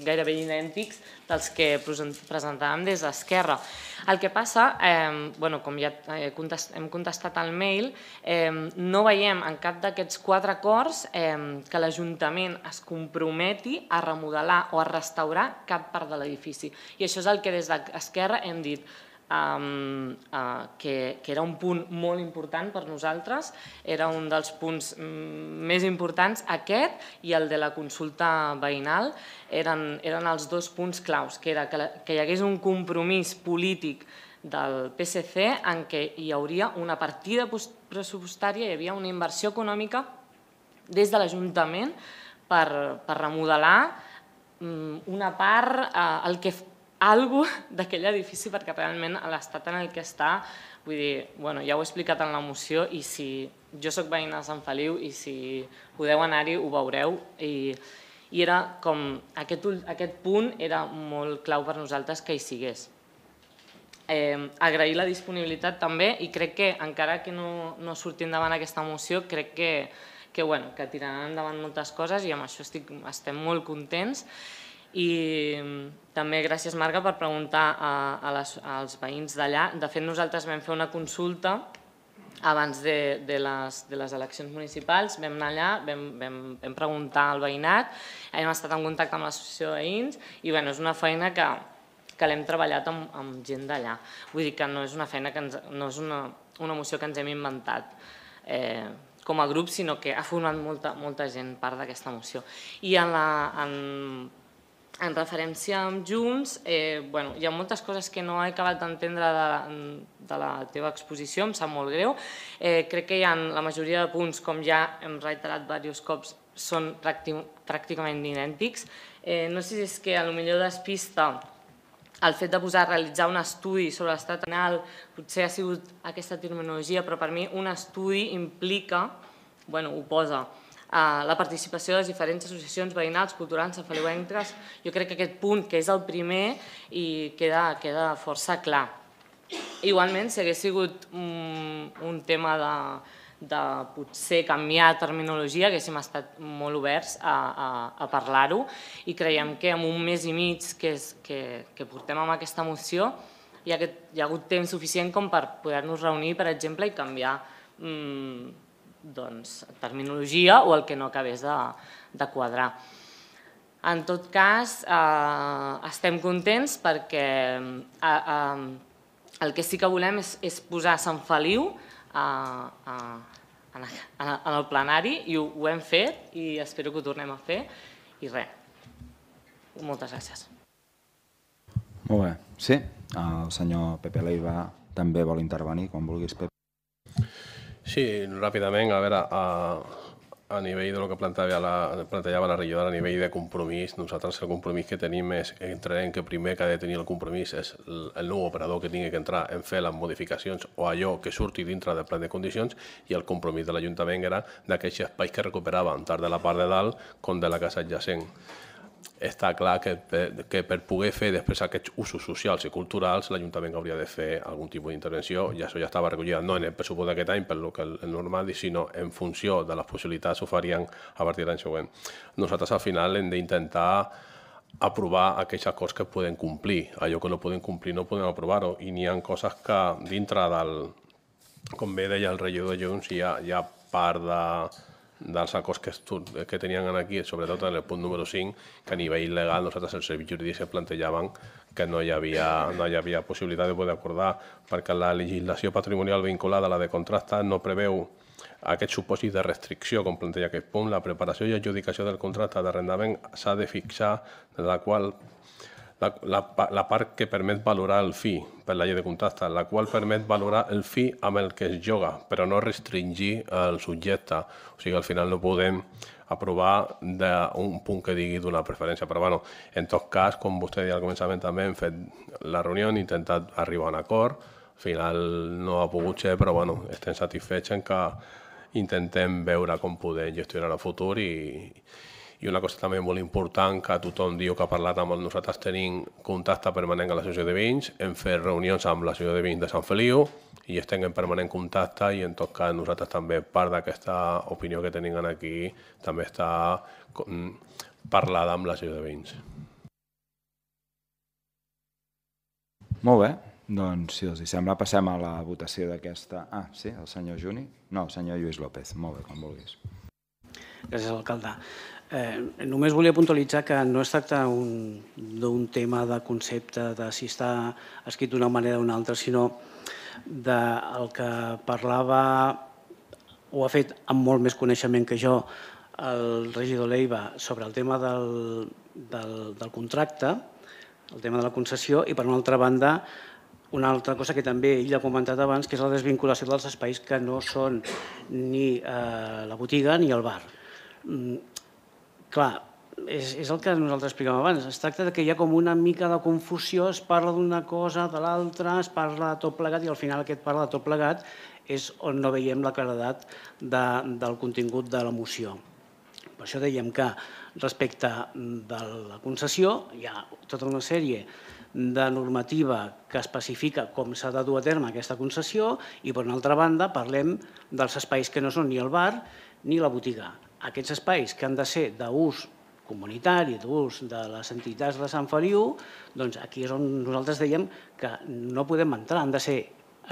gairebé idèntics dels que presentàvem des d'Esquerra. El que passa, com ja hem contestat al mail, no veiem en cap d'aquests quatre acords que l'Ajuntament es comprometi a remodelar o a restaurar cap part de l'edifici. I això és el que des d'Esquerra hem dit, que era un punt molt important per nosaltres, era un dels punts més importants, aquest i el de la consulta veïnal, eren els dos punts claus, que era que hi hagués un compromís polític del P S C en què hi hauria una partida pressupostària, hi havia una inversió econòmica des de l'Ajuntament per remodelar una part, el que algo d'aquell edifici, perquè realment l'estat en el que està, vull dir, ja ho he explicat en la moció i si jo soc veïna de Sant Feliu i si podeu anar-hi ho veureu i era com, aquest punt era molt clau per nosaltres que hi sigués. Agrair la disponibilitat també i crec que encara que no surti endavant aquesta moció, crec que tiraran endavant moltes coses i amb això estem molt contents. I també gràcies, Marga, per preguntar als veïns d'allà. De fet, nosaltres vam fer una consulta abans de les eleccions municipals, vam anar allà, vam preguntar al veïnat, hem estat en contacte amb l'associació de veïns i és una feina que l'hem treballat amb gent d'allà. Vull dir que no és una feina, no és una moció que ens hem inventat com a grup, sinó que ha format molta gent part d'aquesta moció. I en En referència amb Junts, hi ha moltes coses que no he acabat d'entendre de la teva exposició, em sap molt greu. Crec que la majoria de punts, com ja hem reiterat diversos cops, són pràcticament idèntics. No sé si és que potser despista el fet de posar a realitzar un estudi sobre l'estat penal, potser ha sigut aquesta terminologia, però per mi un estudi implica, bueno, ho posa, la participació de les diferents associacions veïnals, culturals, sanfeliuenques. Jo crec que aquest punt, que és el primer, queda força clar. Igualment, si hagués sigut un tema de potser canviar terminologia, haguéssim estat molt oberts a parlar-ho i creiem que en un mes i mig que portem amb aquesta moció hi ha hagut temps suficient com per poder-nos reunir, per exemple, i canviar terminologia o el que no acabés de quadrar. En tot cas, estem contents perquè el que sí que volem és posar Sant Feliu en el plenari i ho hem fet i espero que ho tornem a fer i res. Moltes gràcies.
Molt bé. Sí, el senyor Pepe Leiva també vol intervenir, quan vulguis, Pepe.
Sí, ràpidament, a veure, a nivell del que plantejava la regidora, a nivell de compromís, nosaltres el compromís que tenim és, entenem que primer que ha de tenir el compromís és el nou operador que tingui que entrar en fer les modificacions o allò que surti dintre del pla de condicions i el compromís de l'Ajuntament era d'aquests espais que recuperaven, tant de la part de dalt com de la casa adjacent. Està clar que per poder fer després aquests usos socials i culturals l'Ajuntament hauria de fer algun tipus d'intervenció i això ja estava recollit no en el pressupost d'aquest any, per que és normal, sinó en funció de les possibilitats ho farien a partir de l'any següent. Nosaltres al final hem d'intentar aprovar aquells acords que poden complir. Allò que no poden complir no podem aprovar-ho i n'hi ha coses que dintre del, com bé deia el regidor de Junts, hi ha part de dels acords que tenien aquí, sobretot en el punt número cinc, que a nivell legal nosaltres els serveis jurídics plantejaven que no hi havia possibilitat de poder acordar, perquè la legislació patrimonial vinculada a la de contracte no preveu aquest supòsit de restricció, com planteja aquest punt. La preparació i adjudicació del contracte d'arrendament s'ha de fixar la qual la part que permet valorar el fi per la llei de contracte, la qual permet valorar el fi amb el que es lloga, però no restringir el subjecte. O sigui, al final no podem aprovar un punt que digui d'una preferència. Però, bueno, en tot cas, com vostè deia al començament també, hem fet la reunió, hem intentat arribar a un acord, al final no ha pogut ser, però, bueno, estem satisfets en que intentem veure com podem gestionar el futur i I una cosa també molt important, que tothom diu que ha parlat amb nosaltres, tenim contacte permanent amb l'associació de veïns, hem fet reunions amb l'associació de veïns de Sant Feliu i estem en permanent contacte i en tot cas nosaltres també, part d'aquesta opinió que tenim aquí, també està parlada amb l'associació de veïns.
Molt bé, doncs si els sembla passem a la votació d'aquesta... Ah, sí, el senyor Juni? No, el senyor Lluís López, molt bé, com vulguis.
Gràcies, alcalde. Eh, només volia puntualitzar que no es tracta d'un tema de concepte de si està escrit d'una manera o d'una altra, sinó del que parlava, ho ha fet amb molt més coneixement que jo, el regidor Leiva sobre el tema del, del, del contracte, el tema de la concessió, i per una altra banda una altra cosa que també ell ha comentat abans, que és la desvinculació dels espais que no són ni eh, la botiga ni el bar. Mm, clar, és, és el que nosaltres explicàvem abans. Es tracta que hi ha com una mica de confusió, es parla d'una cosa, de l'altra, es parla de tot plegat i al final aquest parla de tot plegat és on no veiem la claredat de, del contingut de la moció. Per això dèiem que respecte de la concessió hi ha tota una sèrie de normativa que especifica com s'ha de dur a terme aquesta concessió i, per una altra banda, parlem dels espais que no són ni el bar ni la botiga. Aquests espais que han de ser d'ús comunitari, d'ús de les entitats de Sant Feliu, doncs aquí és on nosaltres dèiem que no podem entrar, han de ser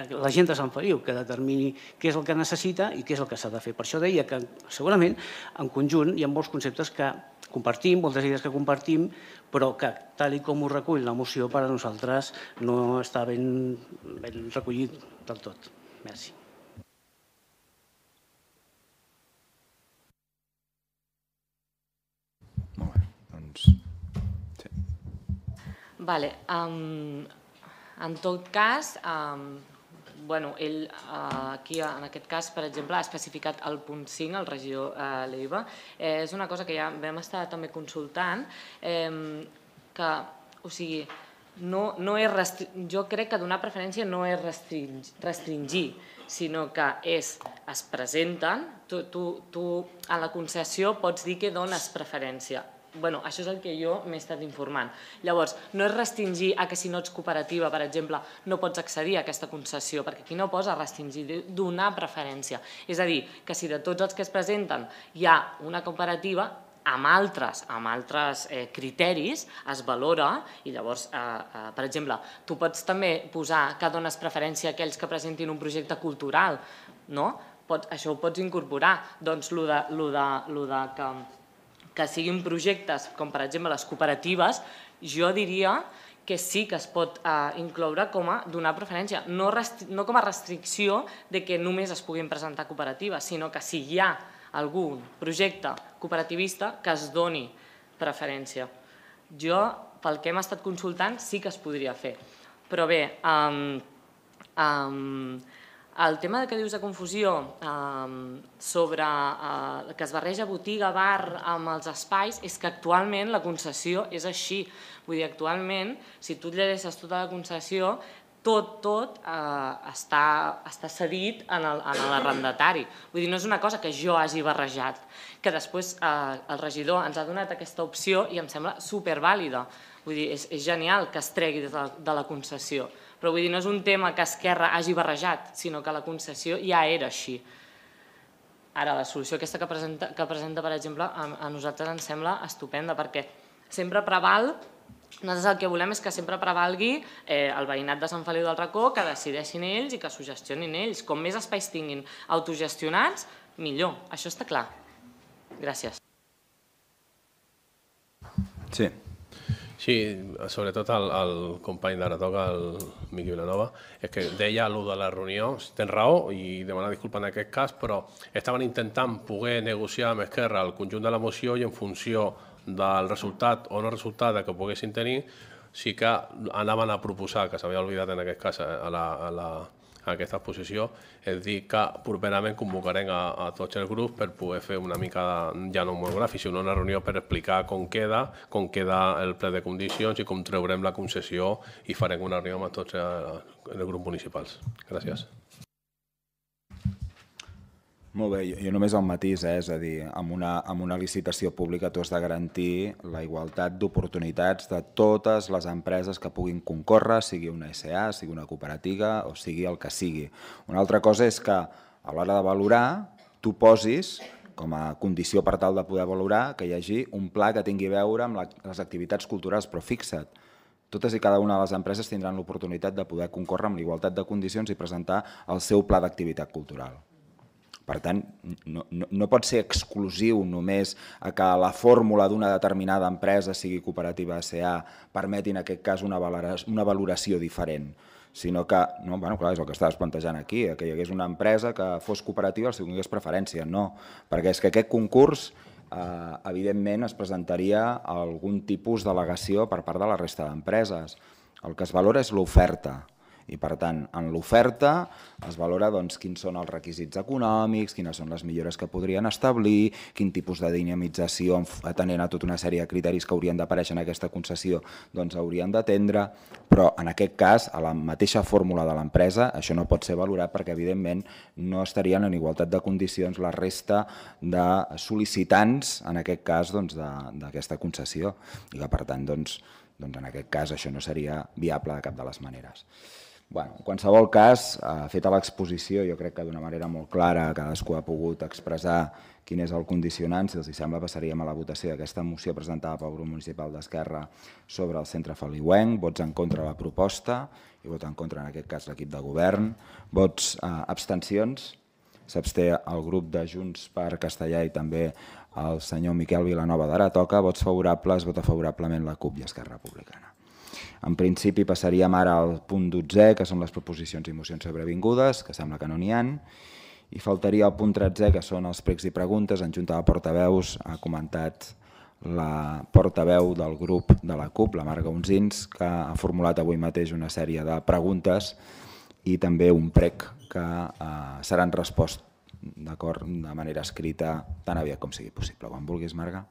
la gent de Sant Feliu que determini què és el que necessita i què és el que s'ha de fer. Per això deia que segurament en conjunt hi ha molts conceptes que compartim, moltes idees que compartim, però que tal com ho recull la moció per a nosaltres no està ben, ben recollit del tot. Merci.
Molt bé, doncs... Sí.
Vale, um, en tot cas... Um, Bueno, ell aquí, en aquest cas, per exemple, ha especificat el punt cinc, el regidor Leiva. És una cosa que ja vam estar també consultant, que, o sigui, no és jo crec que donar preferència no és restringir, sinó que és, es presenten, tu a la concessió pots dir que dones preferència. Bueno, això és el que jo m'he estat informant. Llavors, no és restringir a que si no ets cooperativa, per exemple, no pots accedir a aquesta concessió, perquè aquí no posa restringir, donar preferència. És a dir, que si de tots els que es presenten hi ha una cooperativa, amb altres, amb altres criteris es valora i llavors, per exemple, tu pots també posar que dones preferència a aquells que presentin un projecte cultural, no? Això ho pots incorporar. Doncs el de que que siguin projectes com per exemple les cooperatives, jo diria que sí que es pot incloure com a donar preferència, no com a restricció de que només es puguin presentar cooperatives, sinó que si hi ha algun projecte cooperativista que es doni preferència. Jo, pel que hem estat consultant, sí que es podria fer. Però bé, el tema que dius de confusió sobre que es barreja botiga, bar amb els espais, és que actualment la concessió és així. Vull dir, actualment, si tu llegeixes tota la concessió, tot, tot està cedit en l'arrendatari. Vull dir, no és una cosa que jo hagi barrejat, que després el regidor ens ha donat aquesta opció i em sembla supervàlida. Vull dir, és genial que es tregui de la concessió. Però vull dir, no és un tema que Esquerra hagi barrejat, sinó que la concessió ja era així. Ara, la solució aquesta que presenta, per exemple, a nosaltres ens sembla estupenda, perquè sempre preval, nosaltres el que volem és que sempre prevalgui el veïnat de Sant Feliu del Racó, que decideixin ells i que s'ho gestionin ells. Com més espais tinguin autogestionats, millor. Això està clar. Gràcies.
Sí.
Sí, sobretot el company d'ara toca, el Miqui Vilanova, és que deia allò de la reunió, tens raó i demanar disculpa en aquest cas, però estaven intentant poder negociar amb Esquerra el conjunt de la moció i en funció del resultat o no resultat que poguessin tenir, sí que anaven a proposar, que s'havia oblidat en aquest cas a aquesta exposició, és dir, que properament convocarem a tots els grups per poder fer una mica, ja no monogràfic, sinó una reunió per explicar com queda, com queda el ple de condicions i com treurem la concessió i farem una reunió amb tots els grups municipals. Gràcies.
Molt bé, jo només el matís, és a dir, amb una licitació pública tu has de garantir la igualtat d'oportunitats de totes les empreses que puguin concórrer, sigui una S A, sigui una cooperativa o sigui el que sigui. Una altra cosa és que a l'hora de valorar tu posis com a condició per tal de poder valorar que hi hagi un pla que tingui a veure amb les activitats culturals, però fixa't, totes i cada una de les empreses tindran l'oportunitat de poder concórrer amb l'igualtat de condicions i presentar el seu pla d'activitat cultural. Per tant, no, no, no pot ser exclusiu només a que la fórmula d'una determinada empresa, sigui cooperativa S A, permeti en aquest cas una valoració, una valoració diferent, sinó que, no, bueno, clar, és el que estaves plantejant aquí, que hi hagués una empresa que fos cooperativa si tingués preferència. No, perquè és que aquest concurs, eh, evidentment, es presentaria algun tipus d'al·legació per part de la resta d'empreses. El que es valora és l'oferta. I, per tant, en l'oferta es valora doncs, quins són els requisits econòmics, quines són les millores que podrien establir, quin tipus de dinamització, atenent a tota una sèrie de criteris que haurien d'aparèixer en aquesta concessió, doncs haurien d'atendre, però en aquest cas, a la mateixa fórmula de l'empresa, això no pot ser valorat perquè, evidentment, no estarien en igualtat de condicions la resta de sol·licitants, en aquest cas, d'aquesta concessió, i que, per tant, doncs, en aquest cas, això no seria viable de cap de les maneres. En qualsevol cas, feta l'exposició, jo crec que d'una manera molt clara cadascú ha pogut expressar quin és el condicionant. Si els sembla, passaríem a la votació d'aquesta moció presentada pel grup municipal d'Esquerra sobre el centre feliuenc. Vots en contra de la proposta i vot en contra, en aquest cas, l'equip de govern. Vots abstencions. S'absté el grup de Junts per Castellà i també el senyor Miquel Vilanova d'Aratoca. Vots favorables, vota favorablement la CUP i Esquerra Republicana. En principi passaríem ara al punt dotzè, que són les proposicions i mocions sobrevingudes, que sembla que no n'hi ha, i faltaria el punt tretzè, que són els pregs i preguntes. En junta de portaveus ha comentat la portaveu del grup de la CUP, la Marga Unsins, que ha formulat avui mateix una sèrie de preguntes i també un prec que seran respost de manera escrita tan aviat com sigui possible. Quan vulguis, Marga.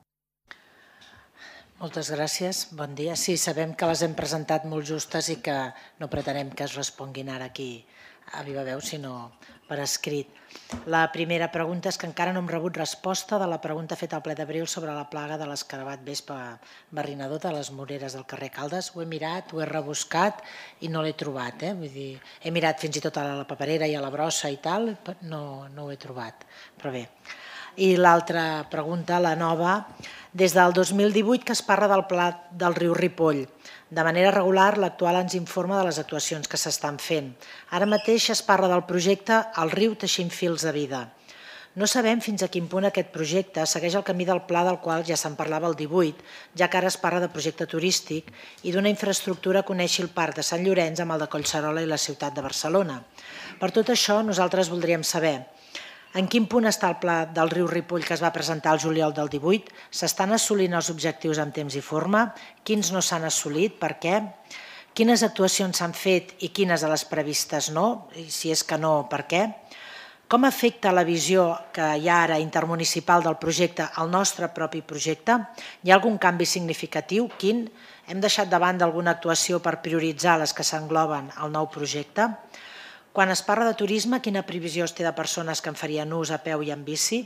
Moltes gràcies, bon dia. Sí, sabem que les hem presentat molt justes i que no pretenem que es responguin ara aquí a viva veu, sinó per escrit. La primera pregunta és que encara no hem rebut resposta de la pregunta feta al ple d'abril sobre la plaga de l'escarabat vespa barrinador de les moreres del carrer Caldes. Ho he mirat, ho he rebuscat i no l'he trobat. Vull dir, he mirat fins i tot a la paperera i a la brossa i tal, no ho he trobat, però bé. I l'altra pregunta, la nova, des del dos mil divuit que es parla del pla del riu Ripoll. De manera regular, l'actual ens informa de les actuacions que s'estan fent. Ara mateix es parla del projecte El riu teixint fils de vida. No sabem fins a quin punt aquest projecte segueix el camí del pla del qual ja se'n parlava el divuit, ja que ara es parla de projecte turístic i d'una infraestructura que uneixi el Parc de Sant Llorenç amb el de Collserola i la ciutat de Barcelona. Per tot això, nosaltres voldríem saber en quin punt està el pla del riu Ripoll que es va presentar el juliol del divuit? S'estan assolint els objectius en temps i forma? Quins no s'han assolit? Per què? Quines actuacions s'han fet i quines de les previstes no? I si és que no, per què? Com afecta la visió que hi ha ara intermunicipal del projecte al nostre propi projecte? Hi ha algun canvi significatiu? Quin? Hem deixat de banda alguna actuació per prioritzar les que s'engloben al nou projecte? Quan es parla de turisme, quina previsió es té de persones que en farien ús a peu i en bici?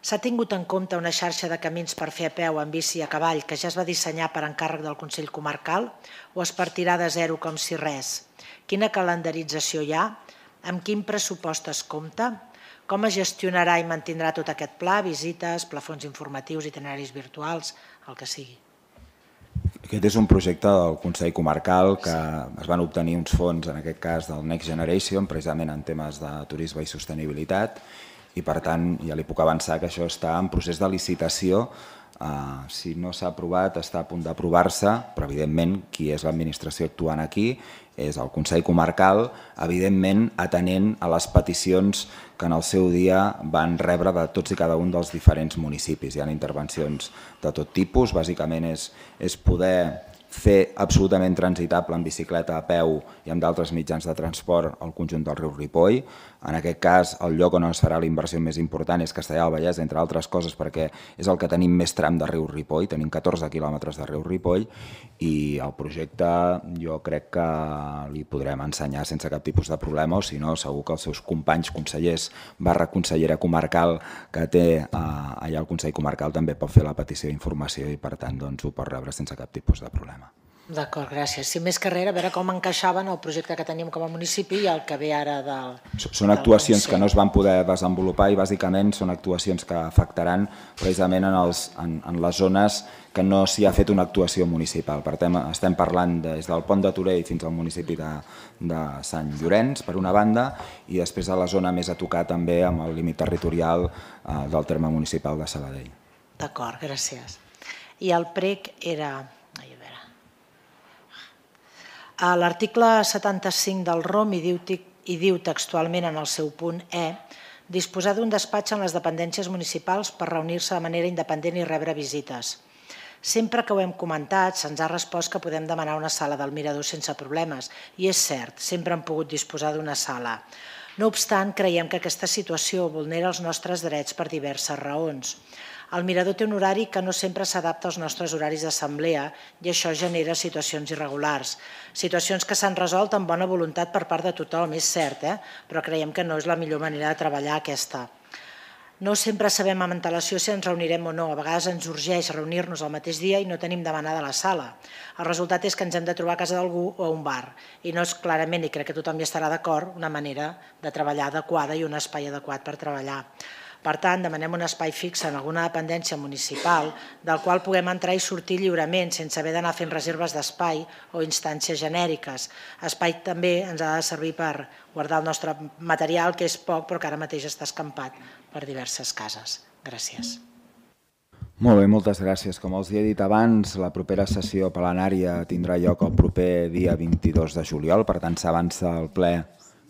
S'ha tingut en compte una xarxa de camins per fer a peu, en bici i a cavall que ja es va dissenyar per encàrrec del Consell Comarcal o es partirà de zero com si res? Quina calendarització hi ha? Amb quin pressupost es compta? Com es gestionarà i mantindrà tot aquest pla? Visites, plafons informatius, itineraris virtuals, el que sigui.
Aquest és un projecte del Consell Comarcal que es van obtenir uns fons, en aquest cas del Next Generation, precisament en temes de turisme i sostenibilitat, i per tant ja li puc avançar que això està en procés de licitació. Si no s'ha aprovat, està a punt d'aprovar-se, però evidentment qui és l'administració actuant aquí és el Consell Comarcal, evidentment atenent a les peticions que en el seu dia van rebre de tots i cada un dels diferents municipis. Hi ha intervencions de tot tipus, bàsicament és poder fer absolutament transitable en bicicleta, a peu i amb d'altres mitjans de transport al conjunt del riu Ripoll. En aquest cas, el lloc on es farà la inversió més important és Castellar del Vallès, entre altres coses perquè és el que tenim més tram de riu Ripoll, tenim catorze quilòmetres de riu Ripoll, i el projecte jo crec que li podrem ensenyar sense cap tipus de problema, o si no, segur que els seus companys consellers barra consellera comarcal que té allà al Consell Comarcal també pot fer la petició d'informació i per tant ho pot rebre sense cap tipus de problema.
D'acord, gràcies. Si més que res, a veure com encaixaven el projecte que teníem com a municipi i el que ve ara del...
Són actuacions que no es van poder desenvolupar i bàsicament són actuacions que afectaran precisament en, els, en, en les zones que no s'hi ha fet una actuació municipal. Per tant, estem parlant des del Pont de Torell fins al municipi de, de Sant Llorenç, per una banda, i després a la zona més a tocar també amb el límit territorial eh, del terme municipal de Sabadell.
D'acord, gràcies. I el prec era... A l'article setanta-cinc del R O M hi diu textualment en el seu punt E disposar d'un despatx en les dependències municipals per reunir-se de manera independent i rebre visites. Sempre que ho hem comentat, se'ns ha respost que podem demanar una sala del mirador sense problemes, i és cert, sempre hem pogut disposar d'una sala. No obstant, creiem que aquesta situació vulnera els nostres drets per diverses raons. El mirador té un horari que no sempre s'adapta als nostres horaris d'assemblea i això genera situacions irregulars. Situacions que s'han resolt amb bona voluntat per part de tothom, és cert, eh? Però creiem que no és la millor manera de treballar aquesta. No sempre sabem amb antelació si ens reunirem o no. A vegades ens urgeix reunir-nos el mateix dia i no tenim demanada la sala. El resultat és que ens hem de trobar a casa d'algú o a un bar. I no és clarament, i crec que tothom hi estarà d'acord, una manera de treballar adequada i un espai adequat per treballar. Per tant, demanem un espai fix en alguna dependència municipal del qual puguem entrar i sortir lliurement sense haver d'anar fent reserves d'espai o instàncies genèriques. Espai també ens ha de servir per guardar el nostre material, que és poc però que ara mateix està escampat per diverses cases. Gràcies.
Molt bé, moltes gràcies. Com els he dit abans, la propera sessió plenària tindrà lloc el proper dia vint-i-dos de juliol, per tant s'avança el ple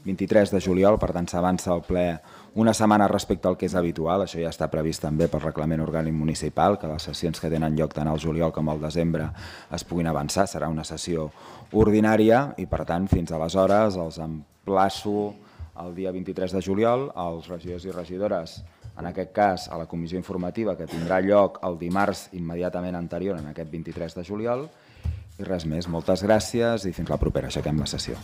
vint-i-tres de juliol, per tant s'avança el ple una setmana respecte al que és habitual. Això ja està previst també pel reglament orgànic municipal, que les sessions que tenen lloc tant al juliol com al desembre es puguin avançar. Serà una sessió ordinària i, per tant, fins aleshores els emplaço el dia vint-i-tres de juliol als regidors i regidores, en aquest cas a la comissió informativa que tindrà lloc el dimarts immediatament anterior en aquest vint-i-tres de juliol. I res més, moltes gràcies i fins la propera. Aixequem la sessió.